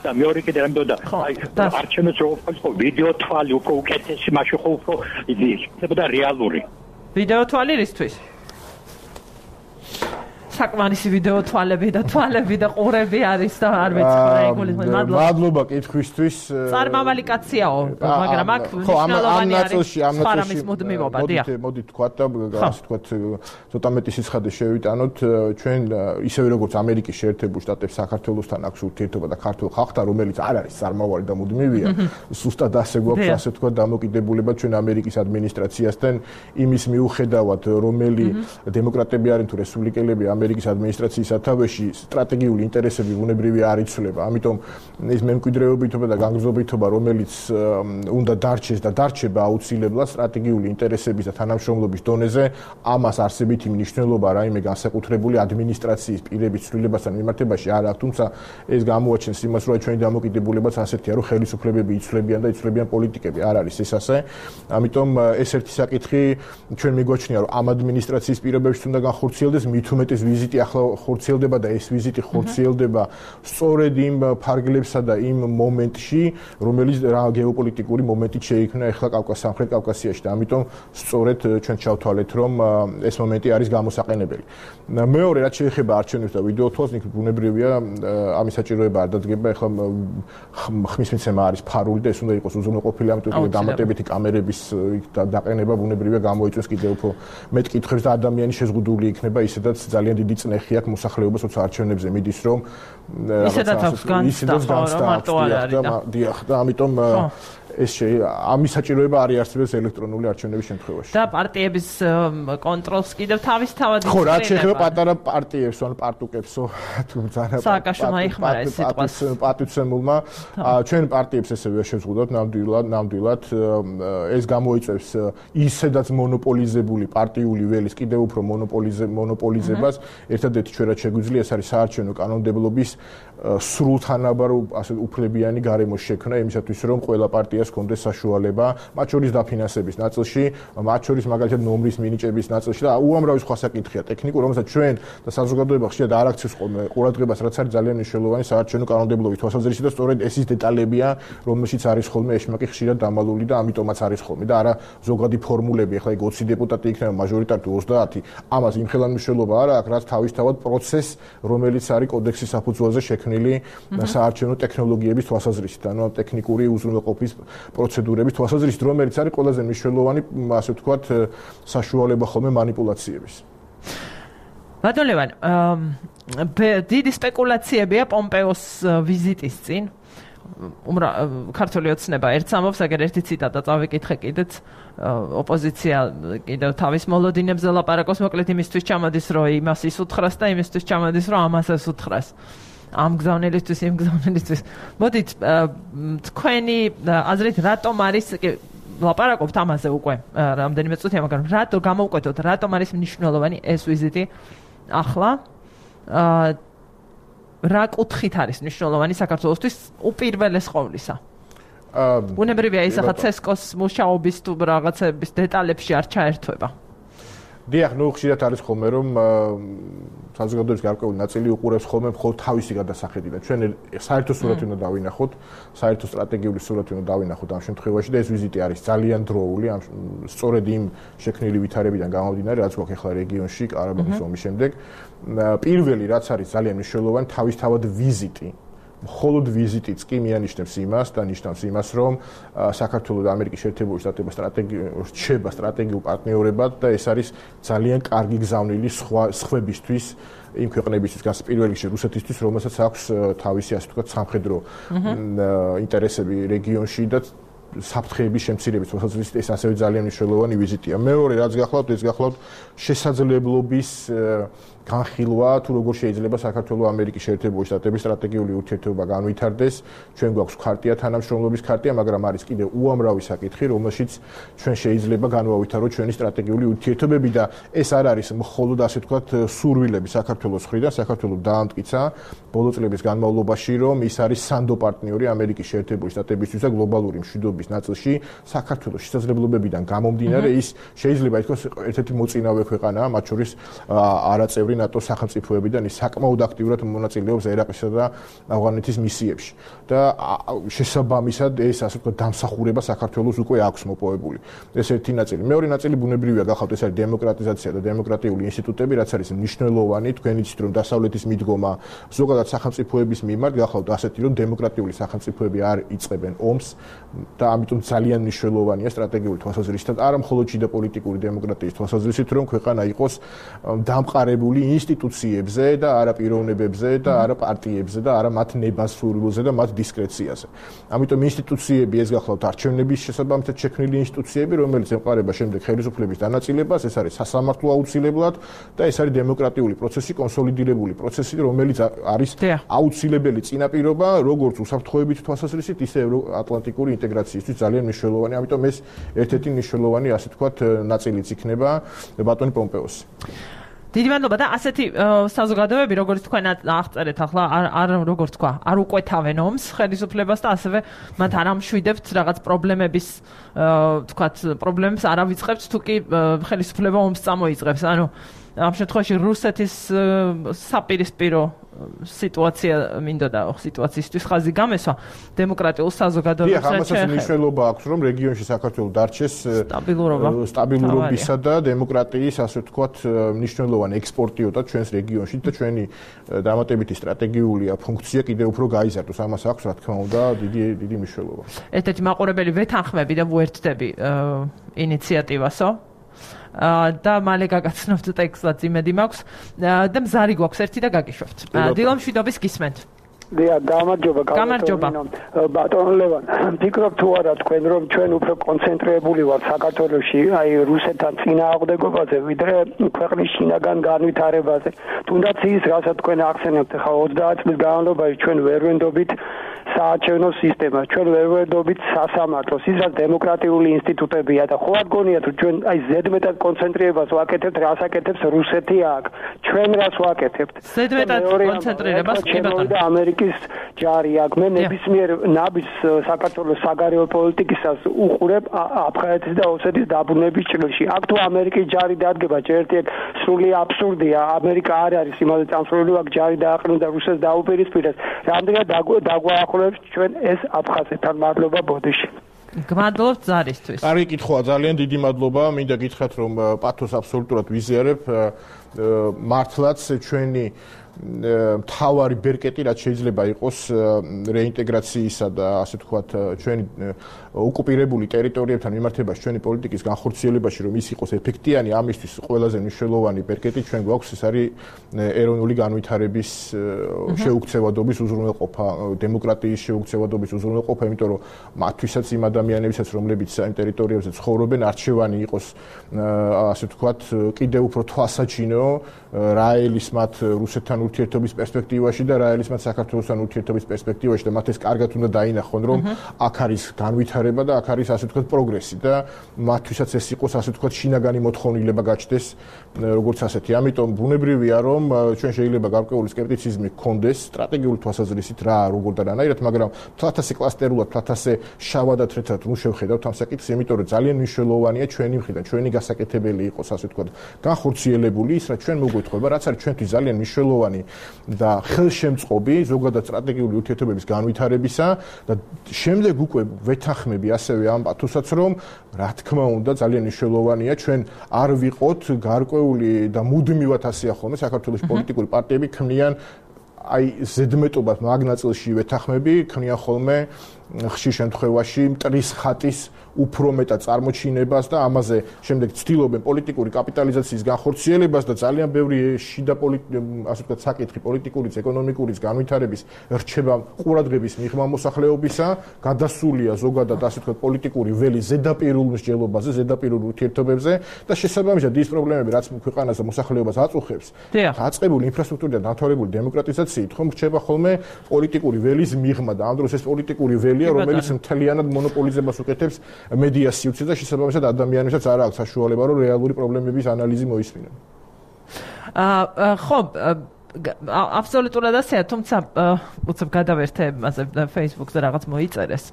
[SPEAKER 7] და მეორე კიდე რამბოდა აი არჩევნებს რო ხო ვიდეო თვალი უფრო უკეთესი მაშინ ხო უფრო იქნებოდა რეალური
[SPEAKER 1] ვიდეო თვალი რისთვის საკმარისი ვიდეო თვალები და ყურები არის და არ მეცხრა ეგულისმენ
[SPEAKER 4] მადლობა კითხვისთვის
[SPEAKER 1] წარმავალი კაციაო მაგრამ აქ მნიშვნელოვანი არის ფარამის მუდმივობა დიახ
[SPEAKER 4] მოდით თქვა და ასე თქვა ცოტა მეტი სიცხადე შევიტანოთ ჩვენ ისევე როგორც ამერიკის შეერთებულ შტატებს საქართველოსთან აქვს ურთიერთობა და ქართულ ხალხთან რომელიც არ არის წარმავალი და მუდმივია სუსტად ასე გვაქვს ასე თქვა დამოკიდებულება ჩვენ ამერიკის ადმინისტრაციასთან იმის მიუხედავად რომელი დემოკრატები არიან თუ რესპუბლიკელები ამერიკის ადმინისტრაციის სათავეში სტრატეგიული ინტერესები ბუნებრივია არ იცვლება. ამიტომ ეს მემკვიდრეობითობა და განგრძობითობა, რომელიც უნდა დარჩეს და დარჩება აუცილებლად სტრატეგიული ინტერესების და თანამშრომლობის დონეზე, ამას არსებითი მნიშვნელობა რაიმე განსაკუთრებული ადმინისტრაციის პირების ცვლილებასთან მიმართებაში არ აქვს, თუმცა ეს გამოაჩენს იმას, რომ ჩვენი დამოკიდებულებაც ასეთია, რომ ხელისუფლებები იცვლებიან და იცვლებიან პოლიტიკები. არ არის ეს ასე. ამიტომ ეს ერთი საკითხი ჩვენ მიგვაჩნია, რომ ამ ადმინისტრაციის პირობებში უნდა განხორციელდეს მით უმეტეს ვიზიტი ახლა ხორციელდება და ეს ვიზიტი ხორციელდება სწორედ იმ ფარგლებსა და იმ მომენტში, რომელიც გეოპოლიტიკური მომენტი შეიქმნა ახლა სამხრეთ კავკასიაში და ამიტომ სწორედ ჩვენ ჩავთვალეთ, რომ ეს მომენტი არის გამოსაყენებელი. მეორე რაც შეეხება არჩევნებს და ვიდეო თვალს, იქ ბუნებრივია ამის საჭიროება არ დადგება, ახლა ხმის მიცემა არის ფარული და ეს უნდა იყოს უზრუნველყოფილი, ამიტომ დამატებითი კამერების დაყენება ბუნებრივია გამოიწვევს კიდევ უფრო მეტ კითხვებს და ადამიანი შეზღუდული იქნება, ისედაც ძალიან დიდი წნეხი აქვს მოსახლეობას, როცა არჩევნებზე მიდის, რომ
[SPEAKER 1] ისედაც აქვს განცდა, რომ მარტო არ არის და
[SPEAKER 4] დიახ, და ამიტომ ეს ამის საჭიროება არ იარსებებს ელექტრონული არჩევნების შემთხვევაში.
[SPEAKER 1] და პარტიების კონტროლს კიდევ თავისთავად
[SPEAKER 4] ხო, რაც შეეხება პატარა პარტიებს, ან პარტუკებსო, თუმცა
[SPEAKER 1] სააკაშვილმა იხმარა ეს სიტყვას.
[SPEAKER 4] პატივცემულმა ჩვენ პარტიებს ესევე შევზღუდოთ ნამდვილად ეს გამოიწვევს ისედაც მონოპოლიზებული პარტიული ველის კიდევ უფრო მონოპოლიზებას. ერთადერთი ჩვენ რაც შეგვიძლია ეს არის საარჩევნო კანონმდებლობის სრულთანაბარ ასე უფლებიანი გარემოს შექმნა იმისათვის რომ ყველა პარტიას ჰქონდეს საშუალება მათ შორის დაფინანსების ნაწილში, მათ შორის მაგალითად ნომრის მინიჭების ნაწილში და უამრავი სხვა საკითხია ტექნიკურ, რომელსაც ჩვენ და საზოგადოება ხშირად არ აქცევს ხოლმე ყურადღებას, რაც არის ძალიან მნიშვნელოვანი საარჩევნო კანონმდებლობის თვალსაზრისით და სწორედ ეს ის დეტალებია, რომელშიც არის ხოლმე ეშმაკი ხშირად დამალული და ამიტომაც არის ხოლმე და არა ზოგადი ფორმულები, ახლა იქ 20 დეპუტატი იქნება მაჟორიტარი თუ 30, ამას იმხელან მნიშვნელობა არ აქვს, რაც თავისთავად პროცესს, რომელიც არის კოდექსის საფუძველზე შექმნილი საარჩევნო ტექნოლოგიების თვალსაზრისით, ანუ ტექნიკური უზრუნველყოფის პროცედურების თვალსაზრისით, რომელიც არის ყველაზე მნიშვნელოვანი, ასე ვთქვათ, საშუალება ხოლმე манипуляციების.
[SPEAKER 1] ბატონ ლევან, დიდი სპეკულაციებია პომპეოს ვიზიტის წინ. ქართული ოცნება ერთს ამბობს, აგერ ერთი ციტატა წავიკითხე კიდეც, ოპოზიცია კიდევ თავის მოლოდინებზე ლაპარაკობს, მოკლედ იმისთვის ჩამოდის, რომ იმას ისუთხრას და იმისთვის ჩამოდის, რომ ამას ესუთხრას. ამ გზავნილისთვის, იმ გზავნილისთვის. მოდით, თქვენი აზრით, რატომ არის ლაპარაკობთ ამაზე უკვე რამდენიმე წუთია, მაგრამ რატო გამოვკვეთოთ, რატომ არის მნიშვნელოვანი ეს ვიზიტი ახლა? რა კუთხით არის მნიშვნელოვანი საქართველოსთვის უპირველეს ყოვლისა? ბუნებრივია ის ახლა ცესკოს მუშაობის თუ რაღაცების დეტალებში არ ჩაერთვება.
[SPEAKER 4] დიახ, ნუ ხშირად არის ხოლმე რომ საზოგადოების გარკვეული ნაწილი უყურებს ხოლმე მხოლოდ თავისი გადასახედი და ჩვენ საერთო სურათი უნდა დავინახოთ, საერთო სტრატეგიული სურათი უნდა დავინახოთ ამ შემთხვევაში და ეს ვიზიტი არის ძალიან დროული, სწორედ იმ შექმნილი ვითარებიდან გამომდინარე, რაც გვაქვს ახლა რეგიონში ყარაბაღის ომის შემდეგ. პირველი რაც არის ძალიან მნიშვნელოვანი, თავისთავად ვიზიტი. მხოლოდ ვიზიტიც კი მიანიშნებს იმას და ნიშნავს იმას, რომ საქართველოს და ამერიკის შეერთებული შტატების რჩება სტრატეგიულ პარტნიორებად და ეს არის ძალიან კარგი გზავნილი სხვებისთვის, იმ ქვეყნებისთვის, პირველ რიგში რუსეთისთვის, რომელსაც აქვს თავისი ასე ვთქვათ სამხედრო ინტერესები რეგიონში და საფრთხეების შემცირების თვალსაზრისით ეს ასევე ძალიან მნიშვნელოვანი ვიზიტია. მეორე რაც გახლავთ, ეს გახლავთ შესაძლებლობის განხილვა თუ როგორ შეიძლება საქართველოს ამერიკის შეერთებული შტატების სტრატეგიული ურთიერთობა განვითარდეს. ჩვენ გვაქვს ქარტია, თანამშრომლობის ქარტია, მაგრამ არის კიდევ უამრავი საკითხი, რომელშიც ჩვენ შეიძლება განვავითაროთ ჩვენი სტრატეგიული ურთიერთობები და ეს არ არის მხოლოდ ასე ვთქვათ სურვილები საქართველოს მხრიდან, საქართველოს დაამტკიცა ბოლო წლების განმავლობაში, რომ ის არის სანდო პარტნიორი ამერიკის შეერთებული შტატებისთვის და გლობალური მშვიდობის ნაწილში საქართველოს შესაძლებლობებიდან გამომდინარე ის შეიძლება ითქვას ერთ-ერთი მოწინავე ქვეყანაა, მათ შორის არაწევრი ნატოს სახელმწიფოებიდან ის საკმაოდ აქტიურად მონაწილეობს ერაყისა და ავღანეთის მისიებში და შესაბამისად ეს ასე ვთქვათ დამსახურება საქართველოს უკვე აქვს მოპოვებული. ეს ერთი ნაწილი. მეორე ნაწილი ბუნებრივია გახავთ, ეს არის დემოკრატიზაცია და დემოკრატიული ინსტიტუტები, რაც არის მნიშვნელოვანი, თქვენ იცით რომ დასავლეთის მიდგომა ზოგადად სახელმწიფოების მიმართ გახავთ ასეთი რომ დემოკრატიული სახელმწიფოები არ იწყებენ ომს და ამიტომ ძალიან მნიშვნელოვანია სტრატეგიული თვალსაზრისით, არა მხოლოდ შიდა პოლიტიკური დემოკრატიის თვალსაზრისით, რომ ქვეყანა იყოს დამყარებული ინსტიტუციებზე და არა პიროვნებებზე და არა პარტიებზე და არა მათ ნებასრულზე და მათ დისკრეციაზე. ამიტომ ინსტიტუციები ეს გახლავთ არჩევნების შესაბამისად შექმნილი ინსტიტუციები, რომელიც ემყარება შემდეგ ხელისუფლების დანაწილებას, ეს არის სასამართლო აუცილებლად და ეს არის დემოკრატიული პროცესი, კონსოლიდირებული პროცესი, რომელიც არის აუცილებელი წინაპირობა როგორც უსაფრთხოებით თვალსაზრისით, ისე ევროატლანტიკური ინტეგრაციისთვის ძალიან მნიშვნელოვანი. ამიტომ ეს ერთ-ერთი მნიშვნელოვანი ასე ვთქვათ ნაწილიც იქნება ბატონი პომპეოსი.
[SPEAKER 1] დიდი მადლობა და ასეთი საზოგადოებები, როგორც თქვენ აღწერეთ ახლა, არ როგორც თქვა, არ უკვეთავენ ომს ხელისუფლებას და ასევე მათ არ ამშვიდებთ რაღაც პრობლემების, ვთქვათ, პრობლემებს არ ავიწყებთ, თუ კი ხელისუფლება ომს წამოიწყებს. ანუ ამ შემთხვევაში რუსეთის საპირისპირო სიტუაცია მინდოდა სიტუაციისთვის ხაზი გამესვა დემოკრატიულ საზოგადოებას
[SPEAKER 4] ამასაც მნიშვნელობა აქვს რომ რეგიონში საქართველოს დარჩეს სტაბილურობისა და დემოკრატიის ასე ვთქვათ მნიშვნელოვანი ექსპორტიოტა ჩვენს რეგიონში და ჩვენი დამატებითი სტრატეგიული ფუნქცია კიდევ უფრო გაიზარდოს ამას აქვს რა თქმა უნდა დიდი მნიშვნელობა
[SPEAKER 1] ერთ-ერთი მაყურებელი ვეთანხმები და ვუერთდები ინიციატივასო და მალე გაგაცნობთ ტექსტად იმედი მაქვს და მზარი გვაქვს ერთი და გაგიშვებთ. დილო მშვიდობის გისმენთ.
[SPEAKER 8] გამარჯობა. ბატონ ლევან, ფიქრობ თუ არა თქვენ რომ ჩვენ უფრო კონცენტრირებული ვართ საქართველოში, აი რუსეთთან წინააღმდეგობაზე, ვიდრე ქვეყნის შინაგან განვითარებაზე. თუნდაც ის, რასაც თქვენ ახსენებთ, ხა 30 წლის განმავლობაში ჩვენ ვერ ვენდობით საარჩევნო სისტემას, ჩვენ ვერ ვენდობით სასამართლოს, ის რაც დემოკრატიული ინსტიტუტებია და ხო არ გონიათ რომ ჩვენ აი ზედმეტად კონცენტრირებას ვაკეთებთ, რას აკეთებს რუსეთი აქ, ჩვენ რას ვაკეთებთ?
[SPEAKER 1] ზედმეტად კონცენტრირებას კი ბატონო.
[SPEAKER 8] ამერიკის ჯარი აქ მე ნებისმიერ ნაბის საქართველოს საგარეო პოლიტიკისას უყურებ აფხაზეთის და ოსეთის დაბრუნების ჭრილში. აქ თუ ამერიკის ჯარი დადგება, ერთ-ერთი სრული აბსურდია. ამერიკა არ არის იმაზე წამსვლელი, აქ ჯარი დააყენოს და რუსეთს დაუპირისპირდეს. რამდენად დაგვაახლოვებს ჩვენ ეს აფხაზეთთან. მადლობა ბოდიში.
[SPEAKER 1] გმადლობთ ზარისთვის.
[SPEAKER 4] კარგი კითხვაა, ძალიან დიდი მადლობა. მინდა გითხრათ რომ პათოს აბსოლუტურად ვიზიარებ. მართლაც ჩვენი მთავარი ბერკეტი რაც შეიძლება იყოს რეინტეგრაციისა და ასე ვთქვათ ჩვენი ოკუპირებული ტერიტორიებთან მიმართებაში ჩვენი პოლიტიკის განხორციელებაში რომ ის იყოს ეფექტიანი ამისთვის ყველაზე მნიშვნელოვანი ბერკეტი ჩვენ გვაქვს ეს არის ეროვნული განვითარების შეუქცევადობის უზრუნველყოფა დემოკრატიის შეუქცევადობის უზრუნველყოფა იმიტომ რომ მათთვისაც იმ ადამიანებისაც რომლებიც იმ ტერიტორიებზე ცხოვრობენ არჩევანი იყოს ასე ვთქვათ კიდევ უფრო თვალსაჩინო რა ელის მათ რუსეთთან ურთიერთობის პერსპექტივაში და რა ელის მათ საქართველოსთან ურთიერთობის პერსპექტივაში და მათ ეს კარგად უნდა დაინახონ რომ აქ არის განვითარება და აქ არის ასე ვთქვათ პროგრესი და მათთვისაც ეს იყოს ასე ვთქვათ შინაგანი მოთხოვნილება გაჩნდეს როგორც ასეთი. ამიტომ ბუნებრივია რომ ჩვენ შეიძლება გარკვეული სკეპტიციზმი გქონდეს სტრატეგიული თვალსაზრისით რა როგორ და რანაირად, მაგრამ თვალთასე კლასტერულად, თვალთასე შავად და თეთრად ნუ შევხედავთ ამ საკითხს, იმიტომ რომ ძალიან მნიშვნელოვანია ჩვენი მხრიდან, ჩვენი გასაკეთებელი იყოს ასე ვთქვათ განხორციელებული ის რაც ჩვენ მოგვეთხოვება, რაც არის ჩვენთვის ძალიან მნიშვნელოვანი და ხელშემწყობი ზოგადად სტრატეგიული ურთიერთობების განვითარებისა და შემდეგ უკვე ვეთანხმები ასევე ამ პათოსაც რომ რა თქმა უნდა ძალიან მნიშვნელოვანია ჩვენ არ ვიყოთ გარკვეული და მუდმივად ასეა ხოლმე საქართველოს პოლიტიკური პარტიები ქმნიან აი ზედმეტობას მაგნაწილში ვეთანხმები ქმნიან ხოლმე ხშირ შემთხვევაში მტრის ხატის უფრო მეტად წარმოჩინებას და ამაზე შემდეგ ცდილობენ პოლიტიკური კაპიტალიზაციის განხორციელებას და ძალიან ბევრი შიდა ასე ვთქვათ საკითხი პოლიტიკურიც ეკონომიკურიც განვითარების რჩება ყურადღების მიღმა მოსახლეობისა გადასულია ზოგადად ასე ვთქვათ პოლიტიკური ველი ზედაპირულ მსჯელობაზე ზედაპირულ ურთიერთობებზე და შესაბამისად ის პრობლემები რაც ქვეყანას და მოსახლეობას აწუხებს დაწყებული ინფრასტრუქტურიდან დამთავრებული დემოკრატიზაციით ხომ რჩება ხოლმე პოლიტიკური ველის მიღმა და ამ დროს ეს პოლიტიკური ველია რომელიც მთლიანად მონოპოლიზებას უკეთებს მედია სივრცეს და შესაბამისად ადამიანებსაც არ აქვს საშუალება რომ რეალური პრობლემების ანალიზი მოისმინონ.
[SPEAKER 1] ხო, აბსოლუტურად ასეა, თუმცა უცებ გადავერთე მასე Facebook-ზე რაღაც მოიწერეს.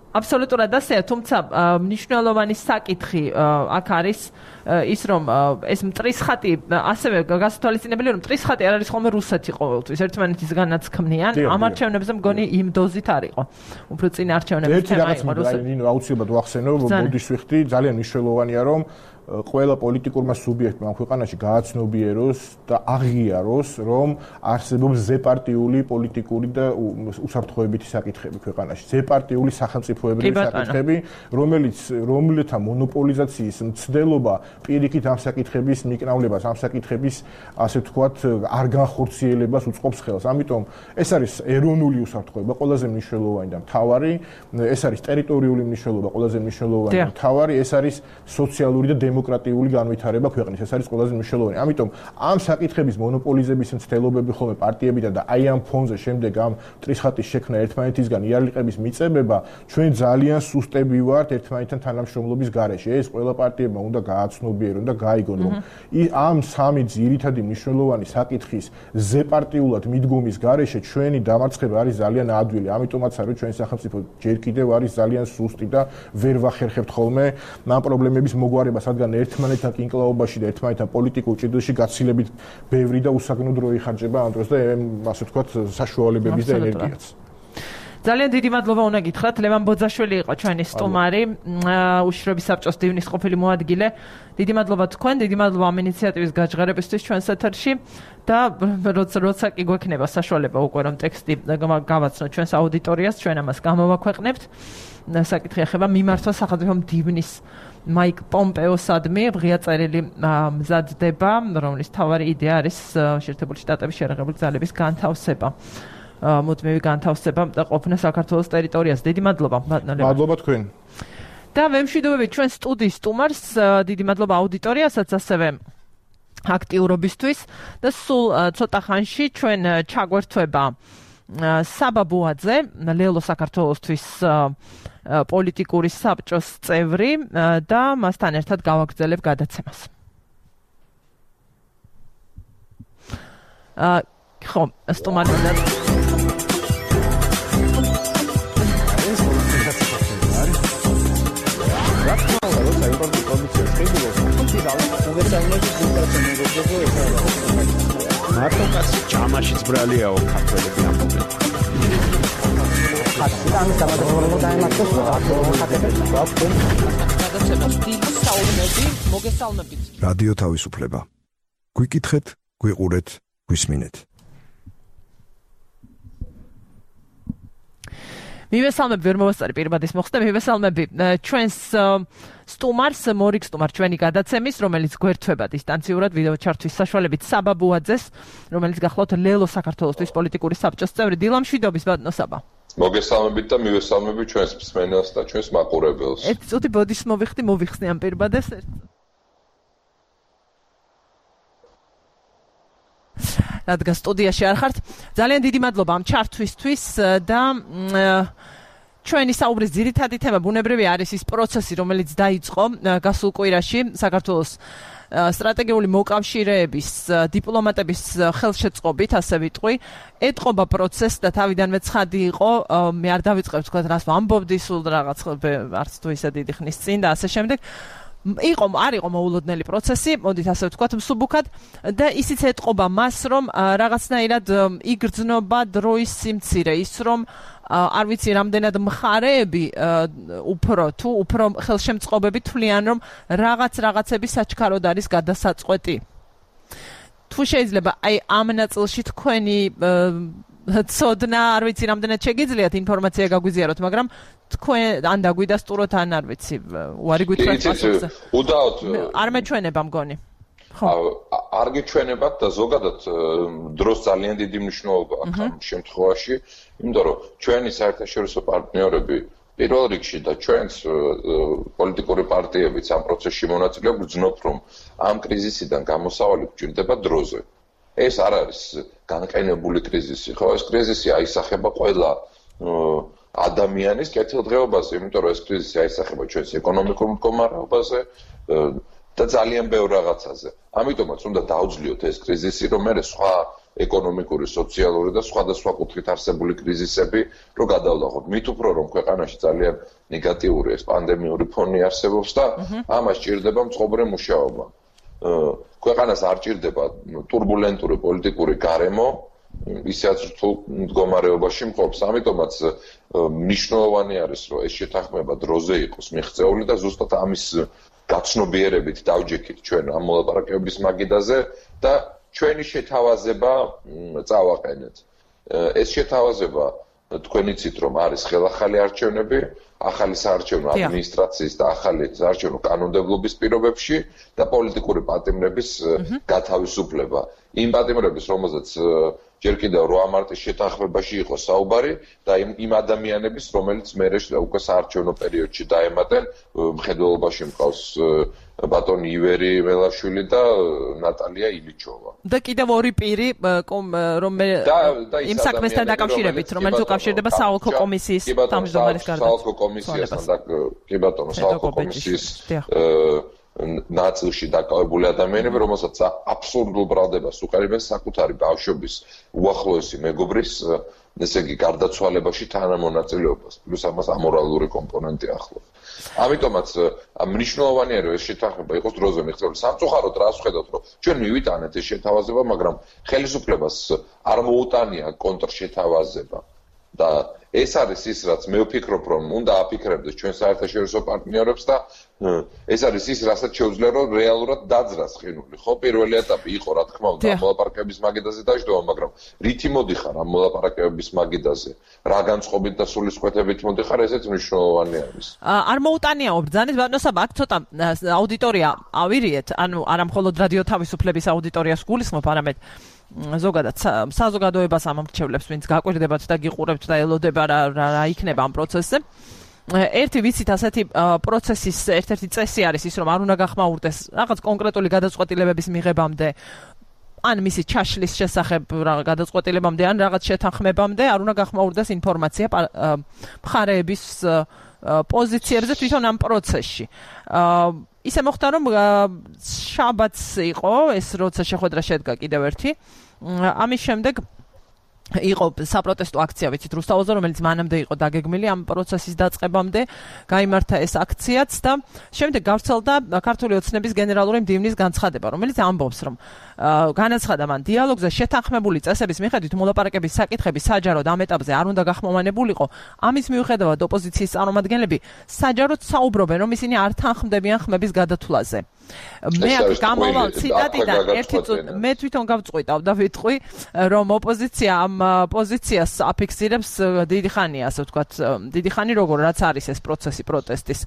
[SPEAKER 1] აბსოლუტურად ასეა, თუმცა მნიშვნელოვანი საკითხი აქ არის ის რომ ეს მტრის ხატი ასევე გასათვალისწინებელია რომ მტრის ხატი არ არის ხოლმე რუსეთი ყოველთვის ერთმანეთისგანაც ქმნიან ამ არჩევნებზე მგონი იმ დოზით არ იყო უფრო წინ არჩევნების თემა იყო რუსეთი
[SPEAKER 4] ნინო აუცილებლად ვახსენო ბოდიშ ვიხდი ძალიან მნიშვნელოვანია რომ ყველა პოლიტიკურმა სუბიექტმა ამ ქვეყანაში გააცნობიეროს და აღიაროს რომ არსებობს ზეპარტიული პოლიტიკური და უსაფრთხოებითი საკითხები ქვეყანაში ზეპარტიული სახელმწიფოებრივი საკითხები რომელთა მონოპოლიზაციის მცდელობა პირიქით ამ საკითხების მიკნავლებას ამ საკითხების ასე ვთქვათ არ განხორციელებას უწყობს ხელს. ამიტომ ეს არის ეროვნული უსაფრთხოება ყველაზე მნიშვნელოვანი და მთავარი, ეს არის ტერიტორიული მნიშვნელობა ყველაზე მნიშვნელოვანი და მთავარი, ეს არის სოციალური და დემოკრატიული განვითარება ქვეყნის. ეს არის ყველაზე მნიშვნელოვანი. ამიტომ ამ საკითხების მონოპოლიზების მცდელობები ხოლმე პარტიებიდან და აი ამ ფონზე შემდეგ ამ ტრისხატის შექმნა ერთმანეთისგან იარლიყების მიწებება ჩვენ ძალიან სუსტები ვართ ერთმანეთთან თანამშრომლობის გარეშე. ეს ყველა პარტიებმა უნდა გააცნობიერონ და გაიგონ რომ ამ სამი ძირითადი მნიშვნელოვანი საკითხის ზეპარტიულად მიდგომის გარეშე ჩვენი დამარცხება არის ძალიან ადვილი. ამიტომაც არის ჩვენი სახელმწიფო ჯერ კიდევ არის ძალიან სუსტი და ვერ ვახერხებთ ხოლმე ამ პრობლემების მოგვარებას, რადგან ერთმანეთთან კინკლაობაში და ერთმანეთთან პოლიტიკურ ჭიდროში გაცილებით ბევრი და უსაგნო დრო იხარჯება ამ დროს და ასე ვთქვათ საშუალებების და ენერგიაც.
[SPEAKER 1] ძალიან დიდი მადლობა უნდა გითხრათ. ლევან ბოძაშვილი იყო ჩვენი სტუმარი, უშიშროების საბჭოს დივნის ყოფილი მოადგილე. დიდი მადლობა თქვენ, დიდი მადლობა ამ ინიციატივის გაჟღერებისთვის ჩვენს ეთერში და როცა კი გვექნება საშუალება უკვე რომ ტექსტი გავაცნოთ ჩვენს აუდიტორიას, ჩვენ ამას გამოვაქვეყნებთ. საკითხი ეხება მიმართვა სახელმწიფო დივნის მაიკ პომპეოსადმი, ღია წერილი მზადდება, რომლის მთავარი იდეა არის შეერთებული შტატების შერეღებული ძალების განთავსება. მუდმივი განთავსება და ყოფნა საქართველოს ტერიტორიაზე. დიდი მადლობა.
[SPEAKER 4] მადლობა თქვენ.
[SPEAKER 1] და ვემშვიდობებით ჩვენ სტუდიის სტუმარს, დიდი მადლობა აუდიტორიასაც ასევე აქტიურობისთვის და სულ ცოტა ხანში ჩვენ ჩაგვერთვება საბა ბუაძე, ლელო საქართველოსთვის პოლიტიკური საბჭოს წევრი და მასთან ერთად გავაგრძელებ გადაცემას. ხო, სტუმარი
[SPEAKER 2] მარტო ჯამაშიც ბრალიაო ქართველები ამბობენ.
[SPEAKER 3] რადიო თავისუფლება. გვიკითხეთ, გვიყურეთ, გვისმინეთ.
[SPEAKER 1] მივესალმებ ვერ მოვასწარი პირბადის მოხსნა, მივესალმები ჩვენს სტუმარს, მორიგ სტუმარ ჩვენი გადაცემის, რომელიც გვერთვება დისტანციურად ვიდეო ჩართვის საშუალებით საბა ბუაძეს, რომელიც გახლავთ ლელო საქართველოსთვის პოლიტიკური საბჭოს წევრი. დილა მშვიდობის ბატონო საბა.
[SPEAKER 9] მოგესალმებით და მივესალმები ჩვენს მსმენელს და ჩვენს მაყურებელს.
[SPEAKER 1] ერთი წუთი ბოდის მოვიხსნი ამ პირბადეს. რადგან სტუდიაში არ ხართ, ძალიან დიდი მადლობა ამ ჩართვისთვის და ჩვენი საუბრის ძირითადი თემა ბუნებრივი არის ის პროცესი, რომელიც დაიწყო გასულ კვირაში საქართველოს სტრატეგიული მოკავშირეების დიპლომატების ხელშეწყობით, ასე ვიტყვი, ეტყობა პროცესს და თავიდანვე ცხადი იყო, მე არ დავიწყებ თქვა რას ვამბობდი სულ რაღაც არც თუ ისე დიდი ხნის წინ და ასე შემდეგ. არ იყო მოულოდნელი პროცესი, მოდით ასე ვთქვათ, მსუბუქად და ისიც ეტყობა მას, რომ რაღაცნაირად იგრძნობა დროის სიმცირე, ის რომ არ ვიცი რამდენად მხარეები უფრო ხელშემწყობები თვლიან, რომ რაღაცები საჩქაროდ არის გადასაწყვეტი. თუ შეიძლება აი ამ ნაწილში თქვენი ცოდნა, არ ვიცი რამდენად შეგიძლიათ ინფორმაცია გაგვიზიაროთ, მაგრამ თქვენ ან დაგვიდასტუროთ, ან არ ვიცი, უარი გითხრათ პასუხზე.
[SPEAKER 9] უდაოდ
[SPEAKER 1] არ მეჩვენება მგონი.
[SPEAKER 9] არ გიჩვენებათ და ზოგადად დროს ძალიან დიდი მნიშვნელობა აქვს ამ შემთხვევაში, იმიტომ რომ ჩვენი საერთაშორისო პარტნიორები პირველ რიგში და ჩვენს პოლიტიკური პარტიებიც ამ პროცესში მონაწილეობ გრძნობთ, რომ ამ კრიზისიდან გამოსავალი გვჭირდება დროზე. ეს არ არის განყენებული კრიზისი, ხო, ეს კრიზისი აისახება ყველა ადამიანის კეთილდღეობაზე, იმიტომ რომ ეს კრიზისი აისახება ჩვენს ეკონომიკურ მდგომარეობაზე და ძალიან ბევრ რაღაცაზე. ამიტომაც უნდა დაუძლიოთ ეს კრიზისი, რომ მე სხვა ეკონომიკური, სოციალური და სხვადასხვა კუთხით არსებული კრიზისები რო გადავლაღოთ. მით უფრო რომ ქვეყანაში ძალიან ნეგატიური ეს პანდემიური ფონი არსებობს და ამას ჭირდება მწყობრე მუშაობა. ქვეყანას არ ჭირდება турბულენტური პოლიტიკური გარემო, ისაც რთულ მდგომარეობაში მყოფს. ამიტომაც მნიშვნელოვანი არის, რომ ეს შეთანხმება დროზე იყოს მიღწეული და ზუსტად ამის გაცნობიერებით დავჯექით ჩვენ ამ მოლაპარაკებების მაგიდაზე და ჩვენი შეთავაზება წავაყენეთ. ეს შეთავაზება თქვენ იცით, რომ არის ხელახალი არჩევნები, ახალი საარჩევნო ადმინისტრაციის და ახალი საარჩევნო კანონმდებლობის პირობებში და პოლიტიკური პატიმრების გათავისუფლება. იმ პატიმრების, რომელზეც ჯერ კიდევ 8 მარტის შეთანხმებაში იყო საუბარი და იმ ადამიანების, რომელიც მერე უკვე საარჩევნო პერიოდში დაემატნენ, მხედველობაში მყავს ბატონი ივერი მელაშვილი და ნატალია ილიჩოვა.
[SPEAKER 1] და კიდევ ორი პირი, რომ იმ საქმესთან დაკავშირებით, რომელიც უკავშირდება საოლქო კომისიის თავმჯდომარის გარდაცვალებას.
[SPEAKER 9] საოლქო კომისიასთან და კი ბატონო, საოლქო კომისიის ნაწილში დაკავებული ადამიანები, რომელსაც აბსურდულ ბრალდებას უყურებენ საკუთარი ბავშვობის უახლოესი მეგობრის, ესე იგი, გარდაცვალებაში თანამონაწილეობას, პლუს ამას ამორალური კომპონენტი ახლავს. ამიტომაც მნიშვნელოვანია რომ ეს შეთანხმება იყოს დროზე მიღწეული. სამწუხაროდ რას ვხედავთ რომ ჩვენ მივიტანეთ ეს შეთავაზება, მაგრამ ხელისუფლებას არ მოუტანია კონტრშეთავაზება და ეს არის ის რაც მე ვფიქრობ რომ უნდა აფიქრებდეს ჩვენ საერთაშორისო პარტნიორებს და ეს არის ის რასაც შეუძლია რომ რეალურად დაძრას ყინული. ხო, პირველი ეტაპი იყო რა თქმა უნდა მოლაპარაკებების მაგიდაზე დაждობა, მაგრამ რითი მოდიხარ ამ მოლაპარაკებების მაგიდაზე? რა განწყობით და სულისკვეთებით მოდიხარ, ესეც მნიშვნელოვანი არის.
[SPEAKER 1] არ მოუტანია ბრძანის ბატონო საბა, აქ ცოტა აუდიტორია ავირიეთ, ანუ არა მხოლოდ რადიო თავისუფლების აუდიტორიას გულისხმობ, არამედ ზოგადად საზოგადოებას ამომრჩევლებს, ვინც გაკვირდებათ და გიყურებთ და ელოდება რა იქნება ამ პროცესზე. ერთი ვიცით ასეთი პროცესის ერთ-ერთი წესი არის ის, რომ არ უნდა გახმაურდეს რაღაც კონკრეტული გადაწყვეტილებების მიღებამდე, ან მისი ჩაშლის შესახებ გადაწყვეტილებამდე, ან რაღაც შეთანხმებამდე, არ უნდა გახმაურდეს ინფორმაცია მხარეების პოზიციებზე თვითონ ამ პროცესში. ისე მოხდა რომ შაბათს იყო ეს როცა შეხვედრა შედგა კიდევ ერთი. ამის შემდეგ იყო საპროტესტო აქცია, ვიცით, რუსთაველზე, რომელიც მანამდე იყო დაგეგმილი ამ პროცესის დაწყებამდე, გაიმართა ეს აქციაც და შემდეგ გავრცელდა ქართული ოცნების გენერალური მდივნის განცხადება, რომელიც ამბობს, რომ განაცხადა მან დიალოგზე შეთანხმებული წესების მიხედვით მოლაპარაკების საკითხები საჯაროდ ამ ეტაპზე არ უნდა გახმოვანებულიყო. ამის მიუხედავად ოპოზიციის წარმომადგენლები საჯაროდ საუბრობენ, რომ ისინი არ თანხმდებიან ხმების გადათვლაზე. მე აქ გამომავალ ციტატიდან მე თვითონ გავწყვიტავ და ვიტყვი, რომ ოპოზიცია ამ პოზიციას აფიქსირებს დიდი ხანია, ასე ვთქვათ, დიდი ხანი როგორ რაც არის ეს პროცესი პროტესტის.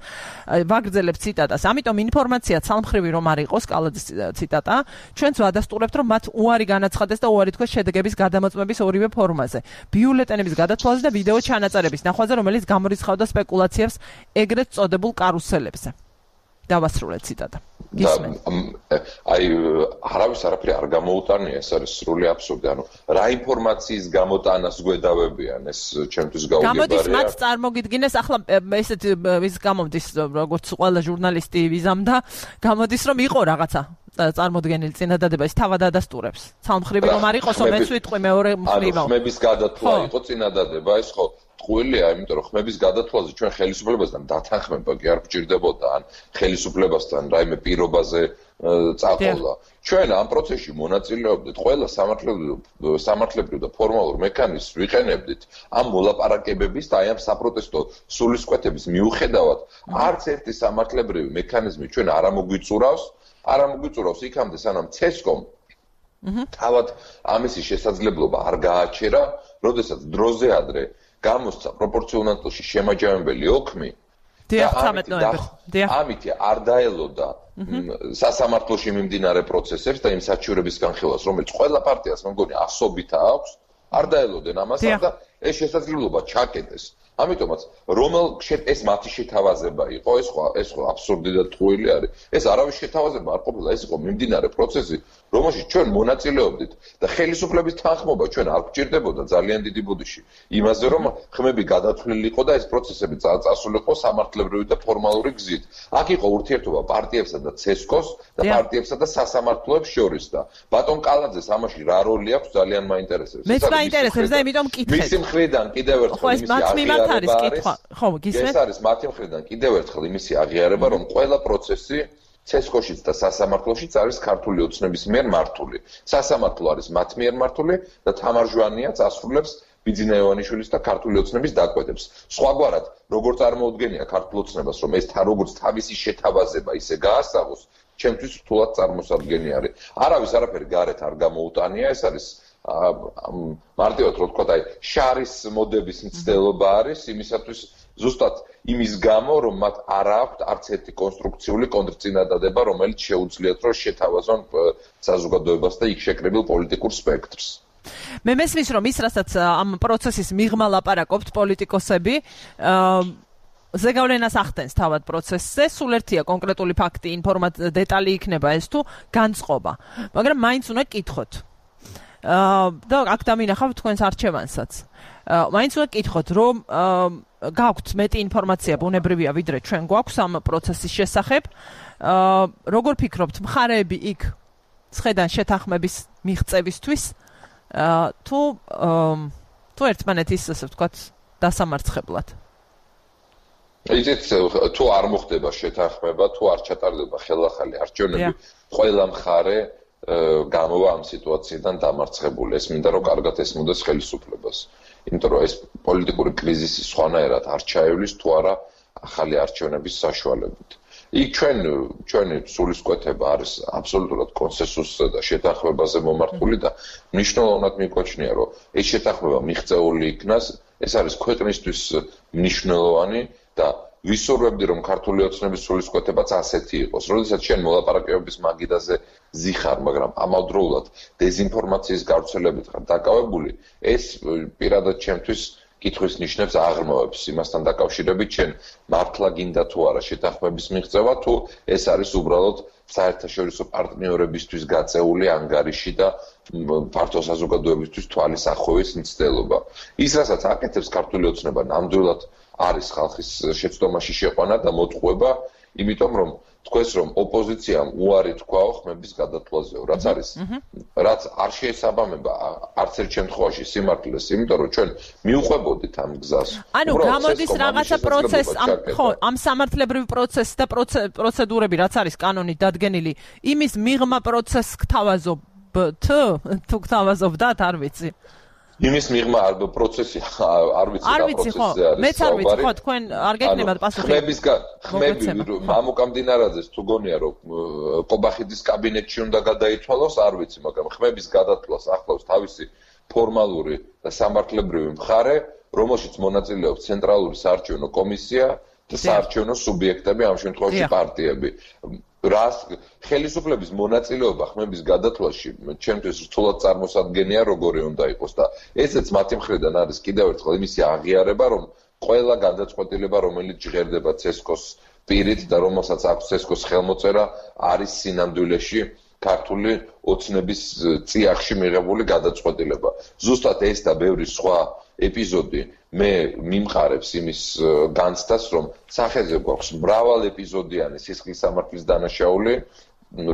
[SPEAKER 1] ვაგრძელებ ციტატას. ამიტომ ინფორმაცია ცალმხრივი რომ არ იყოს, კალაძის ციტატა, ჩვენც ვადასტურებთ, რომ მათ უარი განაცხადეს და უარი თქვეს შედეგების გადამოწმების ორივე ფორმაზე. ბიულეტენების გადათვალაზე და ვიდეო ჩანაწერების ნახვაზე, რომელიც გამორიცხავდა სპეკულაციებს ეგრეთ წოდებულ კარუსელებზე. დავასრულეთ ციტატა.
[SPEAKER 9] აი არავის არაფერი არ გამოუტანია, ეს არის სრული აბსურდი. ანუ რა ინფორმაციის გამოტანას გვედავებიან, ეს ჩემთვის გაუგებარია.
[SPEAKER 1] გამოდის მათ წარმოგიდგინეს, ახლა ესეთ ის გამომდის, როგორც ყველა ჟურნალისტი ვიზამდა, გამოდის რომ იყო რაღაცა წარმოდგენილი წინადადება, ის თავად ადასტურებს. ცალმხრივი რომ არ იყოსო, მეც ვიტყვი მეორე მხრივ.
[SPEAKER 9] ანუ ხმების გადათვლა იყო წინადადება, ეს ხო ტყუილია, იმიტომ რომ ხმების გადათვლაზე ჩვენ ხელისუფლებასთან დათანხმება კი არ გვჭირდებოდა, ან ხელისუფლებასთან რაიმე პირობაზე წაყოლა. ჩვენ ამ პროცესში მონაწილეობდით, ყველა სამართლებრივ და ფორმალურ მექანიზმს ვიყენებდით ამ მოლაპარაკებების და აი ამ საპროტესტო სულისკვეთების მიუხედავად, არც ერთი სამართლებრივი მექანიზმი ჩვენ არ ამოგვიწურავს იქამდე, სანამ CESCOM თავად ამისი შესაძლებლობა არ გააჩერა, როდესაც დროზე ადრე გამოსცა პროპორციონალში შემაჯამებელი ოქმი და ამით არ დაელოდა სასამართლოში მიმდინარე პროცესებს და იმ საჩივრების განხილვას, რომელიც ყველა პარტიას მე მგონი ასობით აქვს, არ დაელოდნენ ამასთან და ეს შესაძლებლობა ჩაკეტეს. ამიტომაც ეს მათი შეთავაზება იყო, ეს ხო აბსურდი და ტყუილი არის. ეს არავის შეთავაზება არ ყოფილა, ეს იყო მიმდინარე პროცესი, რომელშიც ჩვენ მონაწილეობდით და ხელისუფლების თანხმობა ჩვენ არ გვჭირდებოდა ძალიან დიდი ბუდიში. იმაზე რომ ხმები გადათვლილიყო და ეს პროცესები წასულიყო სამართლებრივი და ფორმალური გზით. აქ იყო ურთიერთობა პარტიებსა და CESCOS და პარტიებსა და სასამართლოებს შორის და ბატონ კალაძეს ამაში რა როლი აქვს ძალიან მაინტერესებს.
[SPEAKER 1] მეც მაინტერესებს და იმიტომ მკითხეთ.
[SPEAKER 9] მისი მხრიდან კიდევ ერთხელ
[SPEAKER 1] არის კითხვა. ხო, გისმენთ?
[SPEAKER 9] ეს არის მათი მხრიდან კიდევ ერთხელ იმისი აღიარება, რომ ყველა პროცესი CESCOS-შიც და სასამართლოშიც არის ქართული ოცნების მიერ მართული. სასამართლო არის მათ მიერ მართული და თამარ ჟვანიაც ასრულებს ბიძინა-ივანიშვილის და ქართული ოცნების დაკვეთებს. სხვაგვარად, როგორ წარმოუდგენია ქართულ ოცნებას, რომ ეს როგორც თავისი შეთავაზება ისე გაასაღოს, ჩემთვის რთულად წარმოსადგენი არის. არავის არაფერი გარეთ არ გამოუტანია, ეს არის მარტივად რო ვთქვა, აი შარის მოდების მცდელობა არის იმისათვის ზუსტად იმის გამო, რომ მათ არ აქვთ არც ერთი კონსტრუქციული კონტრწინადადება, რომელიც შეუძლიათ რომ შეთავაზონ საზოგადოებას და იქ შეკრებილ პოლიტიკურ სპექტრს.
[SPEAKER 1] მე მესმის რომ ის რასაც ამ პროცესის მიღმა ლაპარაკობთ პოლიტიკოსები, ზეგავლენას ახდენს თავად პროცესზე, სულ ერთია კონკრეტული ფაქტი, დეტალი იქნება ეს თუ განწყობა, მაგრამ მაინც უნდა კითხოთ. და აქ დამინახავთ თქვენს არჩევანსაც. მაინც უნდა კითხოთ, რომ გაქვთ მეტი ინფორმაცია ბუნებრივია, ვიდრე ჩვენ გვაქვს ამ პროცესის შესახებ. როგორ ფიქრობთ, მხარეები იქ ცხედან შეთანხმების მიღწევისთვის თუ ერთმანეთის, ასე ვთქვათ, დასამარცხებლად?
[SPEAKER 9] იცით თუ არ მოხდება შეთანხმება, თუ არ ჩატარდება ხელახალი არჩევნები, ყველა მხარე გამოვა ამ სიტუაციიდან დამარცხებული. ეს მინდა რომ კარგად ესმოდეს ხელისუფლებას. იმიტომ რომ ეს პოლიტიკური კრიზისი სხვანაირად არ ჩაევლის თუ არა ახალი არჩევნების საშუალებით. იქ ჩვენი სულისკვეთება არის აბსოლუტურად კონსენსუსზე და შეთანხმებაზე მომართული და მნიშვნელოვნად მიგვაჩნია რომ ეს შეთანხმება მიღწეული იქნას, ეს არის ქვეყნისთვის მნიშვნელოვანი და ვისურვებდი რომ ქართული ოცნების სულისკვეთებაც ასეთი იყოს. როდესაც შენ მოლაპარაკებების მაგიდაზე ზიხარ, მაგრამ ამავდროულად დეзинფორმაციის გავრცელებით ხარ დაკავებული, ეს პირადად ჩემთვის კითხვის ნიშნებს აღრმავებს იმასთან დაკავშირებით, შენ მართლა გინდა თუ არა შეთანხმების მიღწევა, თუ ეს არის უბრალოდ საერთაშორისო პარტნიორებისთვის გაწეული ანგარიში და ფართო საზოგადოებისთვის თვალის ახოვის მცდელობა. ის რასაც აკეთებს ქართული ოცნება ნამდვილად არის ხალხის შეცდომაში შეყვანა და მოტყუება, იმიტომ რომ თქვენს რომ ოპოზიციამ უარი თქვაო ხმების გადათვლაზეო, რაც არ შეესაბამება არც ერთ შემთხვევაში სიმართლეს, იმიტომ რომ ჩვენ მიუყვებოდით ამ გზას.
[SPEAKER 1] ანუ გამოდის რაღაცა პროცესი, ამ სამართლებრივი პროცესი და პროცედურები, რაც არის კანონით დადგენილი, იმის მიღმა პროცესს გთავაზობთ, თუ გთავაზობდათ, არ ვიცი.
[SPEAKER 9] იმის მიღმა პროცესი არ ვიცი რა პროცესზე არის.
[SPEAKER 1] მეც არ ვიცი, ხო, თქვენ არ გეკნებათ პასუხი.
[SPEAKER 9] ხმები მამუკამდინარაძეს თუ გონია რომ ყობახიძის კაბინეტში უნდა გადაითვალოს, არ ვიცი, მაგრამ ხმების გადათვლას ახლავს თავისი ფორმალური და სამართლებრივი მხარე, რომელშიც მონაწილეობს ცენტრალური საარჩევნო კომისია და საარჩევნო სუბიექტები, ამ შემთხვევაში პარტიები. რას ხელისუფლების მონაწილეობა ხმების გადათვლაში ჩემთვის რთულად წარმოსადგენია როგორი უნდა იყოს და ესეც მათი მხრიდან არის კიდევ ერთხელ იმისი აღიარება რომ ყველა გადაწყვეტილება რომელიც ჟღერდება ცესკოს პირით და რომელსაც აქვს ცესკოს ხელმოწერა არის სინამდვილეში ქართული ოცნების წიაღში მიღებული გადაწყვეტილება. ზუსტად ეს და ბევრი სხვა ეპიზოდი მე მიმყარებს იმის განცდას, რომ სახეზე გვაქვს მრავალ ეპიზოდიანი სისხლის სამართლის დანაშაული,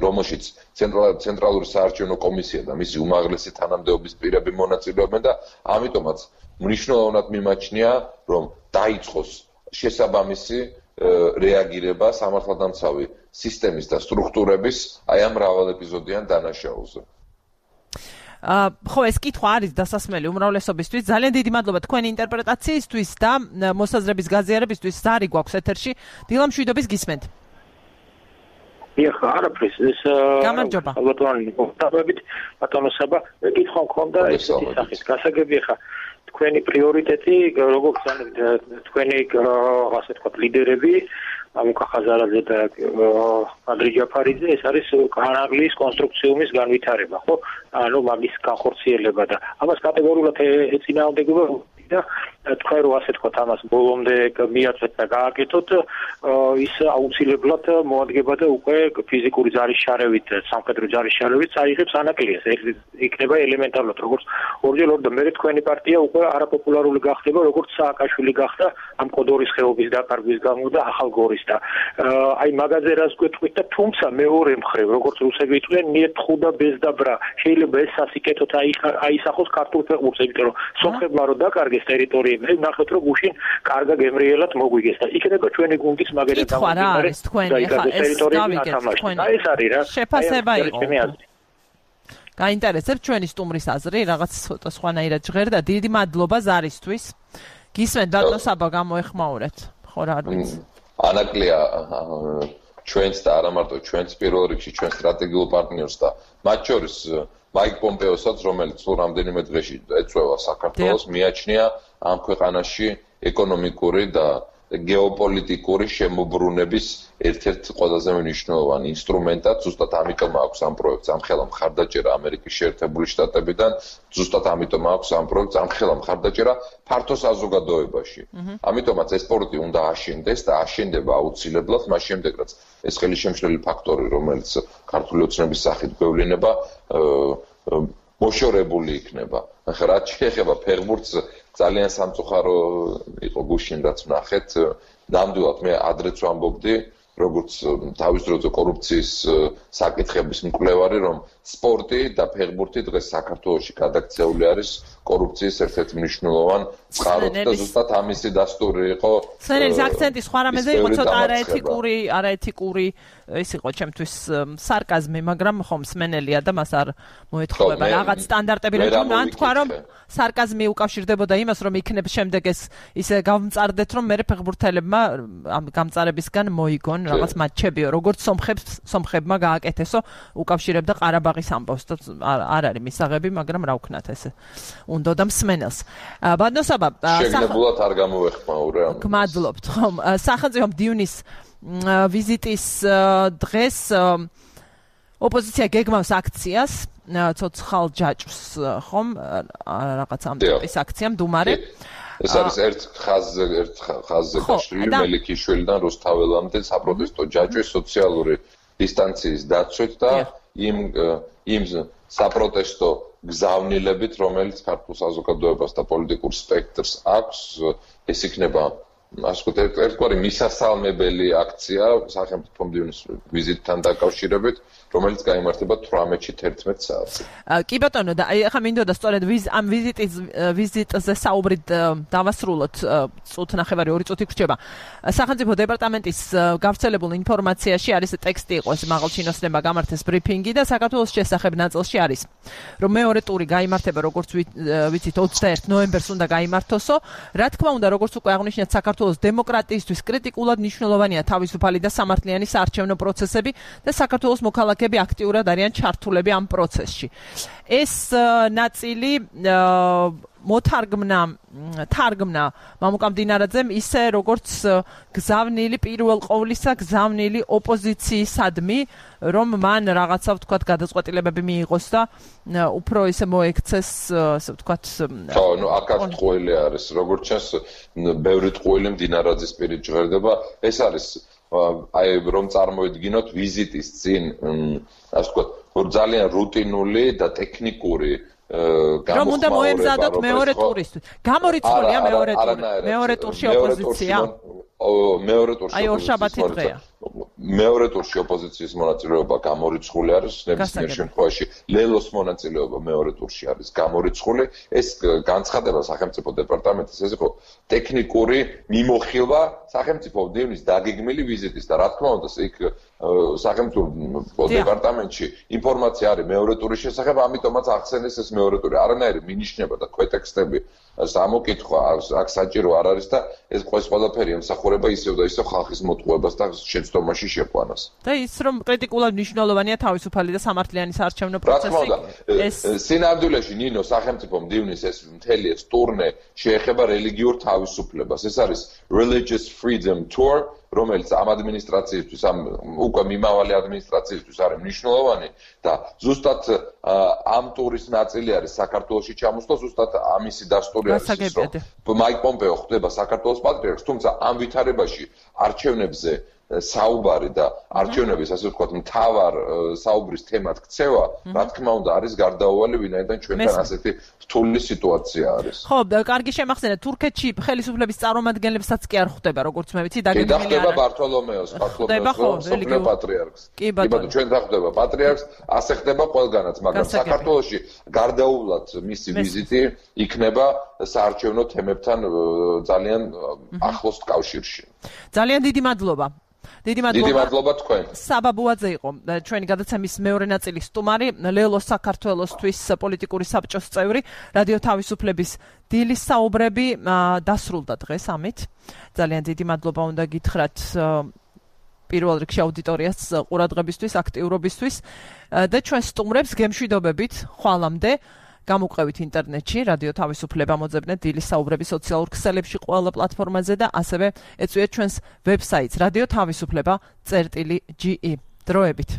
[SPEAKER 9] რომელშიც ცენტრალური საარჩევნო კომისია და მისი უმაღლესი თანამდებობის პირები მონაწილეობენ და ამიტომაც მნიშვნელოვნად მიმაჩნია, რომ დაიწყოს შესაბამისი რეაგირება სამართალდამცავი სისტემის და სტრუქტურების აი ამ მრავალ ეპიზოდიან დანაშაულზე.
[SPEAKER 1] ხო, ეს კითხვა არის დასასმელი უმრავლესობისთვის. ძალიან დიდი მადლობა თქვენი ინტერპრეტაციისთვის და მოსაზრების გაზიარებისთვის. ზარი გვაქვს ეთერში. დილა მშვიდობის გისმენთ.
[SPEAKER 10] ეხლა არაფრის ეს
[SPEAKER 1] გამარჯობა.
[SPEAKER 10] ალბათ ბატონო საბა, მე კითხვა მქონდა ესეთი სახის. გასაგები ეხლა თქვენი პრიორიტეტი, როგორც თქვენი ასე ვთქვათ ლიდერები, ამუკა ხაზარაძე და ანდრია ჯაფარიძე, ეს არის განაღლის კონსტრუქციუმის განვითარება, ხო? ანუ მაგის განხორციელება და ამას კატეგორიულად ეწინააღმდეგება და თქვენ რო ასე ვთქვათ ამას ბოლომდე მიაწვეთ და გააკეთოთ, ის აუცილებლად მოადგება და უკვე ფიზიკური ზარის შარევით, სამხედრო ზარის შარევით წაიღებს ანაკლიას. ეს იქნება ელემენტარულად, როგორც ორჯერ და მე თქვენი პარტია უკვე არაპოპულარული გახდება, როგორც სააკაშვილი გახდა ამ კოდორის ხეობის დაკარგვის გამო და ახალ გორის და აი მაგაზე რას გვეთქვით და თუმცა მეორე მხრივ, როგორც რუსები იტყვიან, ნიეთხუდა ბეზდაბრა, შეიძლება ეს სასიკეთოდ აისახოს ქართულ ფეხბურთს, იმიტომ რომ სომხებმა რო დაკარგეს ტერიტორიები, ნახეთ რომ გუშინ კარგა გემრიელად მოგვიგეს და იქნება ჩვენი გუნდის მაგერად
[SPEAKER 1] დამოკიდებული თქვენი ხა ეს დავიგეთ თქვენი
[SPEAKER 10] ეს არის რა
[SPEAKER 1] შეფასება იყო გაინტერესებს ჩვენი სტუმრის აზრი რაღაც ცოტა სხვანაირად ჟღერდა დიდი მადლობა ზარისთვის გისმენთ ბატონო საბა გამოეხმაურეთ ხო რა არ ვიცი
[SPEAKER 9] ანაკლია ჩვენს და არა მარტო ჩვენს პირველ რიგში ჩვენ სტრატეგიულ პარტნიორს და მათ შორის მაიკ პომპეოსაც, რომელიც რამდენიმე დღეში ეწევა საქართველოს, მიაჩნია ამ ქვეყანაში ეკონომიკური და გეოპოლიტიკური შემოbrunების ერთ-ერთ ყველაზე მნიშვნელოვანი ინსტრუმენტად, ზუსტად ამიტომ აქვს ამ პროექტს ამხელა მხარდაჭერა ამერიკის შეერთებული შტატებიდან, ზუსტად ამიტომ აქვს ამ პროექტს ამხელა მხარდაჭერა ფართო საზოგადოებაში. ამიტომაც ეს სპორტი უნდა აშენდეს და აშენდება აუცილებლად მას შემდეგ, რაც ეს ხელისშემშლელი ფაქტორი, რომელიც ქართული ოცნების სახით გვევლინება, მოშორებული იქნება. ახლა რაც შეეხება ფეხბურთს, ძალიან სამწუხარო იყო გუშინ რაც ვნახეთ. ნამდვილად მე ადრეც ვამბობდი, როგორც თავის დროზე კორუფციის საკითხების მკვლევარი, რომ სპორტი და ფეხბურთი დღეს საქართველოში გადაქცეული არის კორუფციის ერთ-ერთ მნიშვნელოვან წყაროდ და ზუსტად ამისი დასტური იყო.
[SPEAKER 1] სენელის აქცენტი სხვა რამეზე იყო ცოტა არაეთიკური ის იყო ჩემთვის სარკაზმი, მაგრამ ხომ სმენელია და მას არ მოეთხოვება რაღაც სტანდარტები ან თქვა რომ სარკაზმი უკავშირდებოდა იმას რომ იქნებ შემდეგ ეს ისე გამწარდეთ რომ მე ფეხბურთელებმა ამ გამწარებისგან მოიგონ რაღაც მატჩებიო როგორც სომხებმა გააკეთესო უკავშირებდა ყარაბაღის ამბავს და არ არის მისაღები მაგრამ რა ვქნათ ესე უნდა და მსმენელს ბადნოსაბა
[SPEAKER 9] შეგნებულად არ გამოეხმაურე ამ
[SPEAKER 1] გმადლობთ ხომ სახელმწიფო მდივნის ვიზიტის დღეს ოპოზიცია გეგმავს აქციას ცოცხალ ჯაჭვს ხომ რაღაც ამ ტიპის აქცია მდუმარე
[SPEAKER 9] ეს არის ერთ ხაზზე გაშლილი მელიქიშვილიდან რუსთაველამდე საპროტესტო ჯაჭვის სოციალური დისტანციის დაცვით და იმ საპროტესტო გზავნილებით რომელიც ქართულ საზოგადოებას და პოლიტიკურ სპექტრს აქვს ეს იქნება ასე ვთქვათ ერთგვარი მისასალმებელი აქცია სახელმწიფო მდივნის ვიზიტთან დაკავშირებით რომელიც გაიმართება 18-ში 11 საათზე.
[SPEAKER 1] კი ბატონო და ახლა მინდოდა სწორედ ამ ვიზიტზე საუბრით დავასრულოთ წუთ ნახევარი 2 წუთი გრჩება. სახელმწიფო დეპარტამენტის გავრცელებულ ინფორმაციაში არის ტექსტი იყო ეს მაღალჩინოსნებმა გამართეს ბრიფინგი და საქართველოს შესახებ ნაწილში არის რომ მეორე ტური გაიმართება როგორც ვიცით 21 ნოემბერს უნდა გაიმართოსო. რა თქმა უნდა როგორც უკვე აღნიშნეთ საქართველოს დემოკრატიისთვის კრიტიკულად მნიშვნელოვანია თავისუფალი და სამართლიანი საარჩევნო პროცესები და საქართველოს მოქალაქეები აქტიურად არიან ჩართულები ამ პროცესში. ეს ნაწილი თარგმნა მამუკა მდინარაძემ ისე როგორც გზავნილი პირველ ყოვლისა გზავნილი ოპოზიციისადმი რომ მან რაღაცა ვთქვათ გადაწყვეტილებები მიიღოს და უფრო ისე მოექცეს ასე ვთქვათ
[SPEAKER 9] აქაც ტყუილი არის როგორც ჩანს ბევრი ტყუილი მდინარაძის პირით ჟღერდება ეს არის აი რომ წარმოიდგინოთ ვიზიტის წინ ასე ვთქვათ ძალიან რუტინული და ტექნიკური
[SPEAKER 1] რომ უნდა მოემზადოთ მეორე ტურისთვის. გამორიცხულია მეორე ტურში ოპოზიცია.
[SPEAKER 9] მეორე ტურში
[SPEAKER 1] აი ორშაბათი დღეა.
[SPEAKER 9] მეორე ტურში ოპოზიციის მონაწილეობა გამორიცხული არის ნებისმიერ შემთხვევაში. ლელოს მონაწილეობა მეორე ტურში არის გამორიცხული. ეს განცხადება სახელმწიფო დეპარტამენტის ეს იყო ტექნიკური მიმოხილვა სახელმწიფო მდივნის დაგეგმილი ვიზიტის და რა თქმა უნდა იქ სახელმწიფო დეპარტამენტში ინფორმაცია არის მეორე ტურის შესახებ, ამიტომაც ახსენეს ეს მეორე ტური. არანაირი მინიშნება და ქვეტექსტები სამოკითხვა აქ საჭირო არ არის და ეს ყველაფერი ემსახურება ისევ და ისევ ხალხის მოტყუებას და შეცდომაში შეყვანას.
[SPEAKER 1] და ის რომ კრიტიკულად მნიშვნელოვანია თავისუფალი და სამართლიანი საარჩევნო პროცესი.
[SPEAKER 9] ეს სინამდვილეში ნინო სახელმწიფო მდივნის ეს მთელი ეს ტურნე შეეხება რელიგიურ თავისუფლებას. ეს არის Religious Freedom Tour რომელიც ამ ადმინისტრაციისთვის ამ უკვე მიმავალი ადმინისტრაციისთვის არის მნიშვნელოვანი და ზუსტად ამ ტურის ნაწილი არის საქართველოში ჩამოსვლა ზუსტად ამისი დასტური არის რომ მაიკ პომპეო ხდება საქართველოს პატრიარქს თუმცა ამ ვითარებაში არჩევნებზე საუბარი და არჩევნების ასე ვთქვათ მთავარ საუბრის თემად ქცევა რა თქმა უნდა არის გარდაუვალი ვინაიდან ჩვენთან ასეთი რთული სიტუაცია არის.
[SPEAKER 1] ხო, კარგი შემახსენეთ თურქეთში ხელისუფლების წარმომადგენლებსაც კი არ ხვდება როგორც მე ვიცი
[SPEAKER 9] დაგეგმილი არა. ხდება ბართოლომეოს სოფლიო პატრიარქს.
[SPEAKER 1] კი ბატონო
[SPEAKER 9] ჩვენთან ხდება პატრიარქს, ასე ხდება ყველგანაც, მაგრამ საქართველოში გარდაუვლად მისი ვიზიტი იქნება საარჩევნო თემებთან ძალიან ახლოს კავშირში.
[SPEAKER 1] ძალიან დიდი მადლობა.
[SPEAKER 9] დიდი მადლობა თქვენ.
[SPEAKER 1] საბა ბუაძე იყო ჩვენი გადაცემის მეორე ნაწილის სტუმარი, ლელოს საქართველოსთვის პოლიტიკური საბჭოს წევრი, რადიო თავისუფლების დილის საუბრები დასრულდა დღეს ამით. ძალიან დიდი მადლობა უნდა გითხრათ პირველ რიგში აუდიტორიას ყურადღებისთვის, აქტიურობისთვის და ჩვენ სტუმრებს გემშვიდობებით ხვალამდე გამოყევით ინტერნეტში, რადიო თავისუფლება მოძებნეთ დილის საუბრები სოციალურ ქსელებში ყველა პლატფორმაზე და ასევე ეწვიეთ ჩვენს ვებსაიტს radiotavisupleba.ge. დროებით.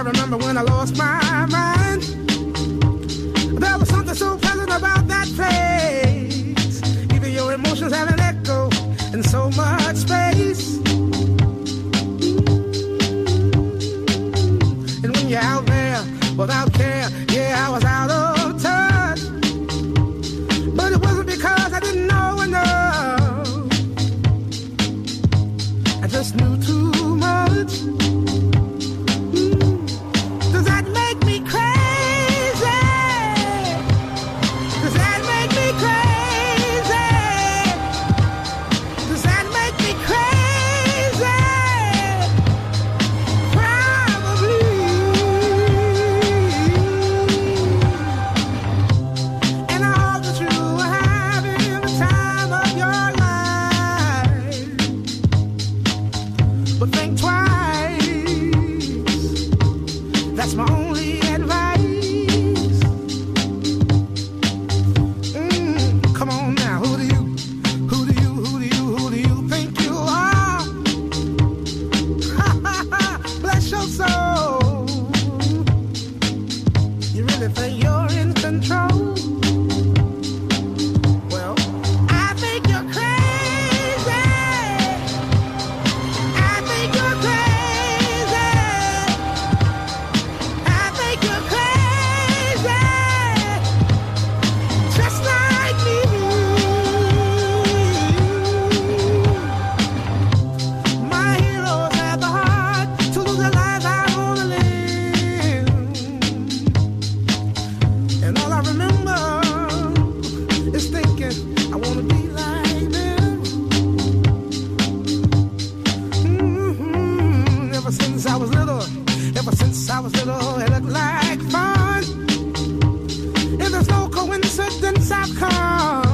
[SPEAKER 11] remember when I lost my mind. There was something so pleasant about that place. Even your emotions have an echo in so much space. And when you're out there without care, yeah, I was out of touch. But it wasn't because I didn't know enough. I just knew too much. Does that make me crazy? Does that make me crazy? Does that make me crazy? Probably. And I hope that you are having the time of your life. But think twice. That's my only advice. Come on now, who do you think you are? Bless your soul. You really think you're in control? Well, I think you're crazy. I think you're crazy. I think you're crazy. Just like me. My heroes had the heart to lose their lives. I wanna live. And all I remember is thinking I wanna be like them. Ever since I was little, it looked like fun. And there's no coincidence I've come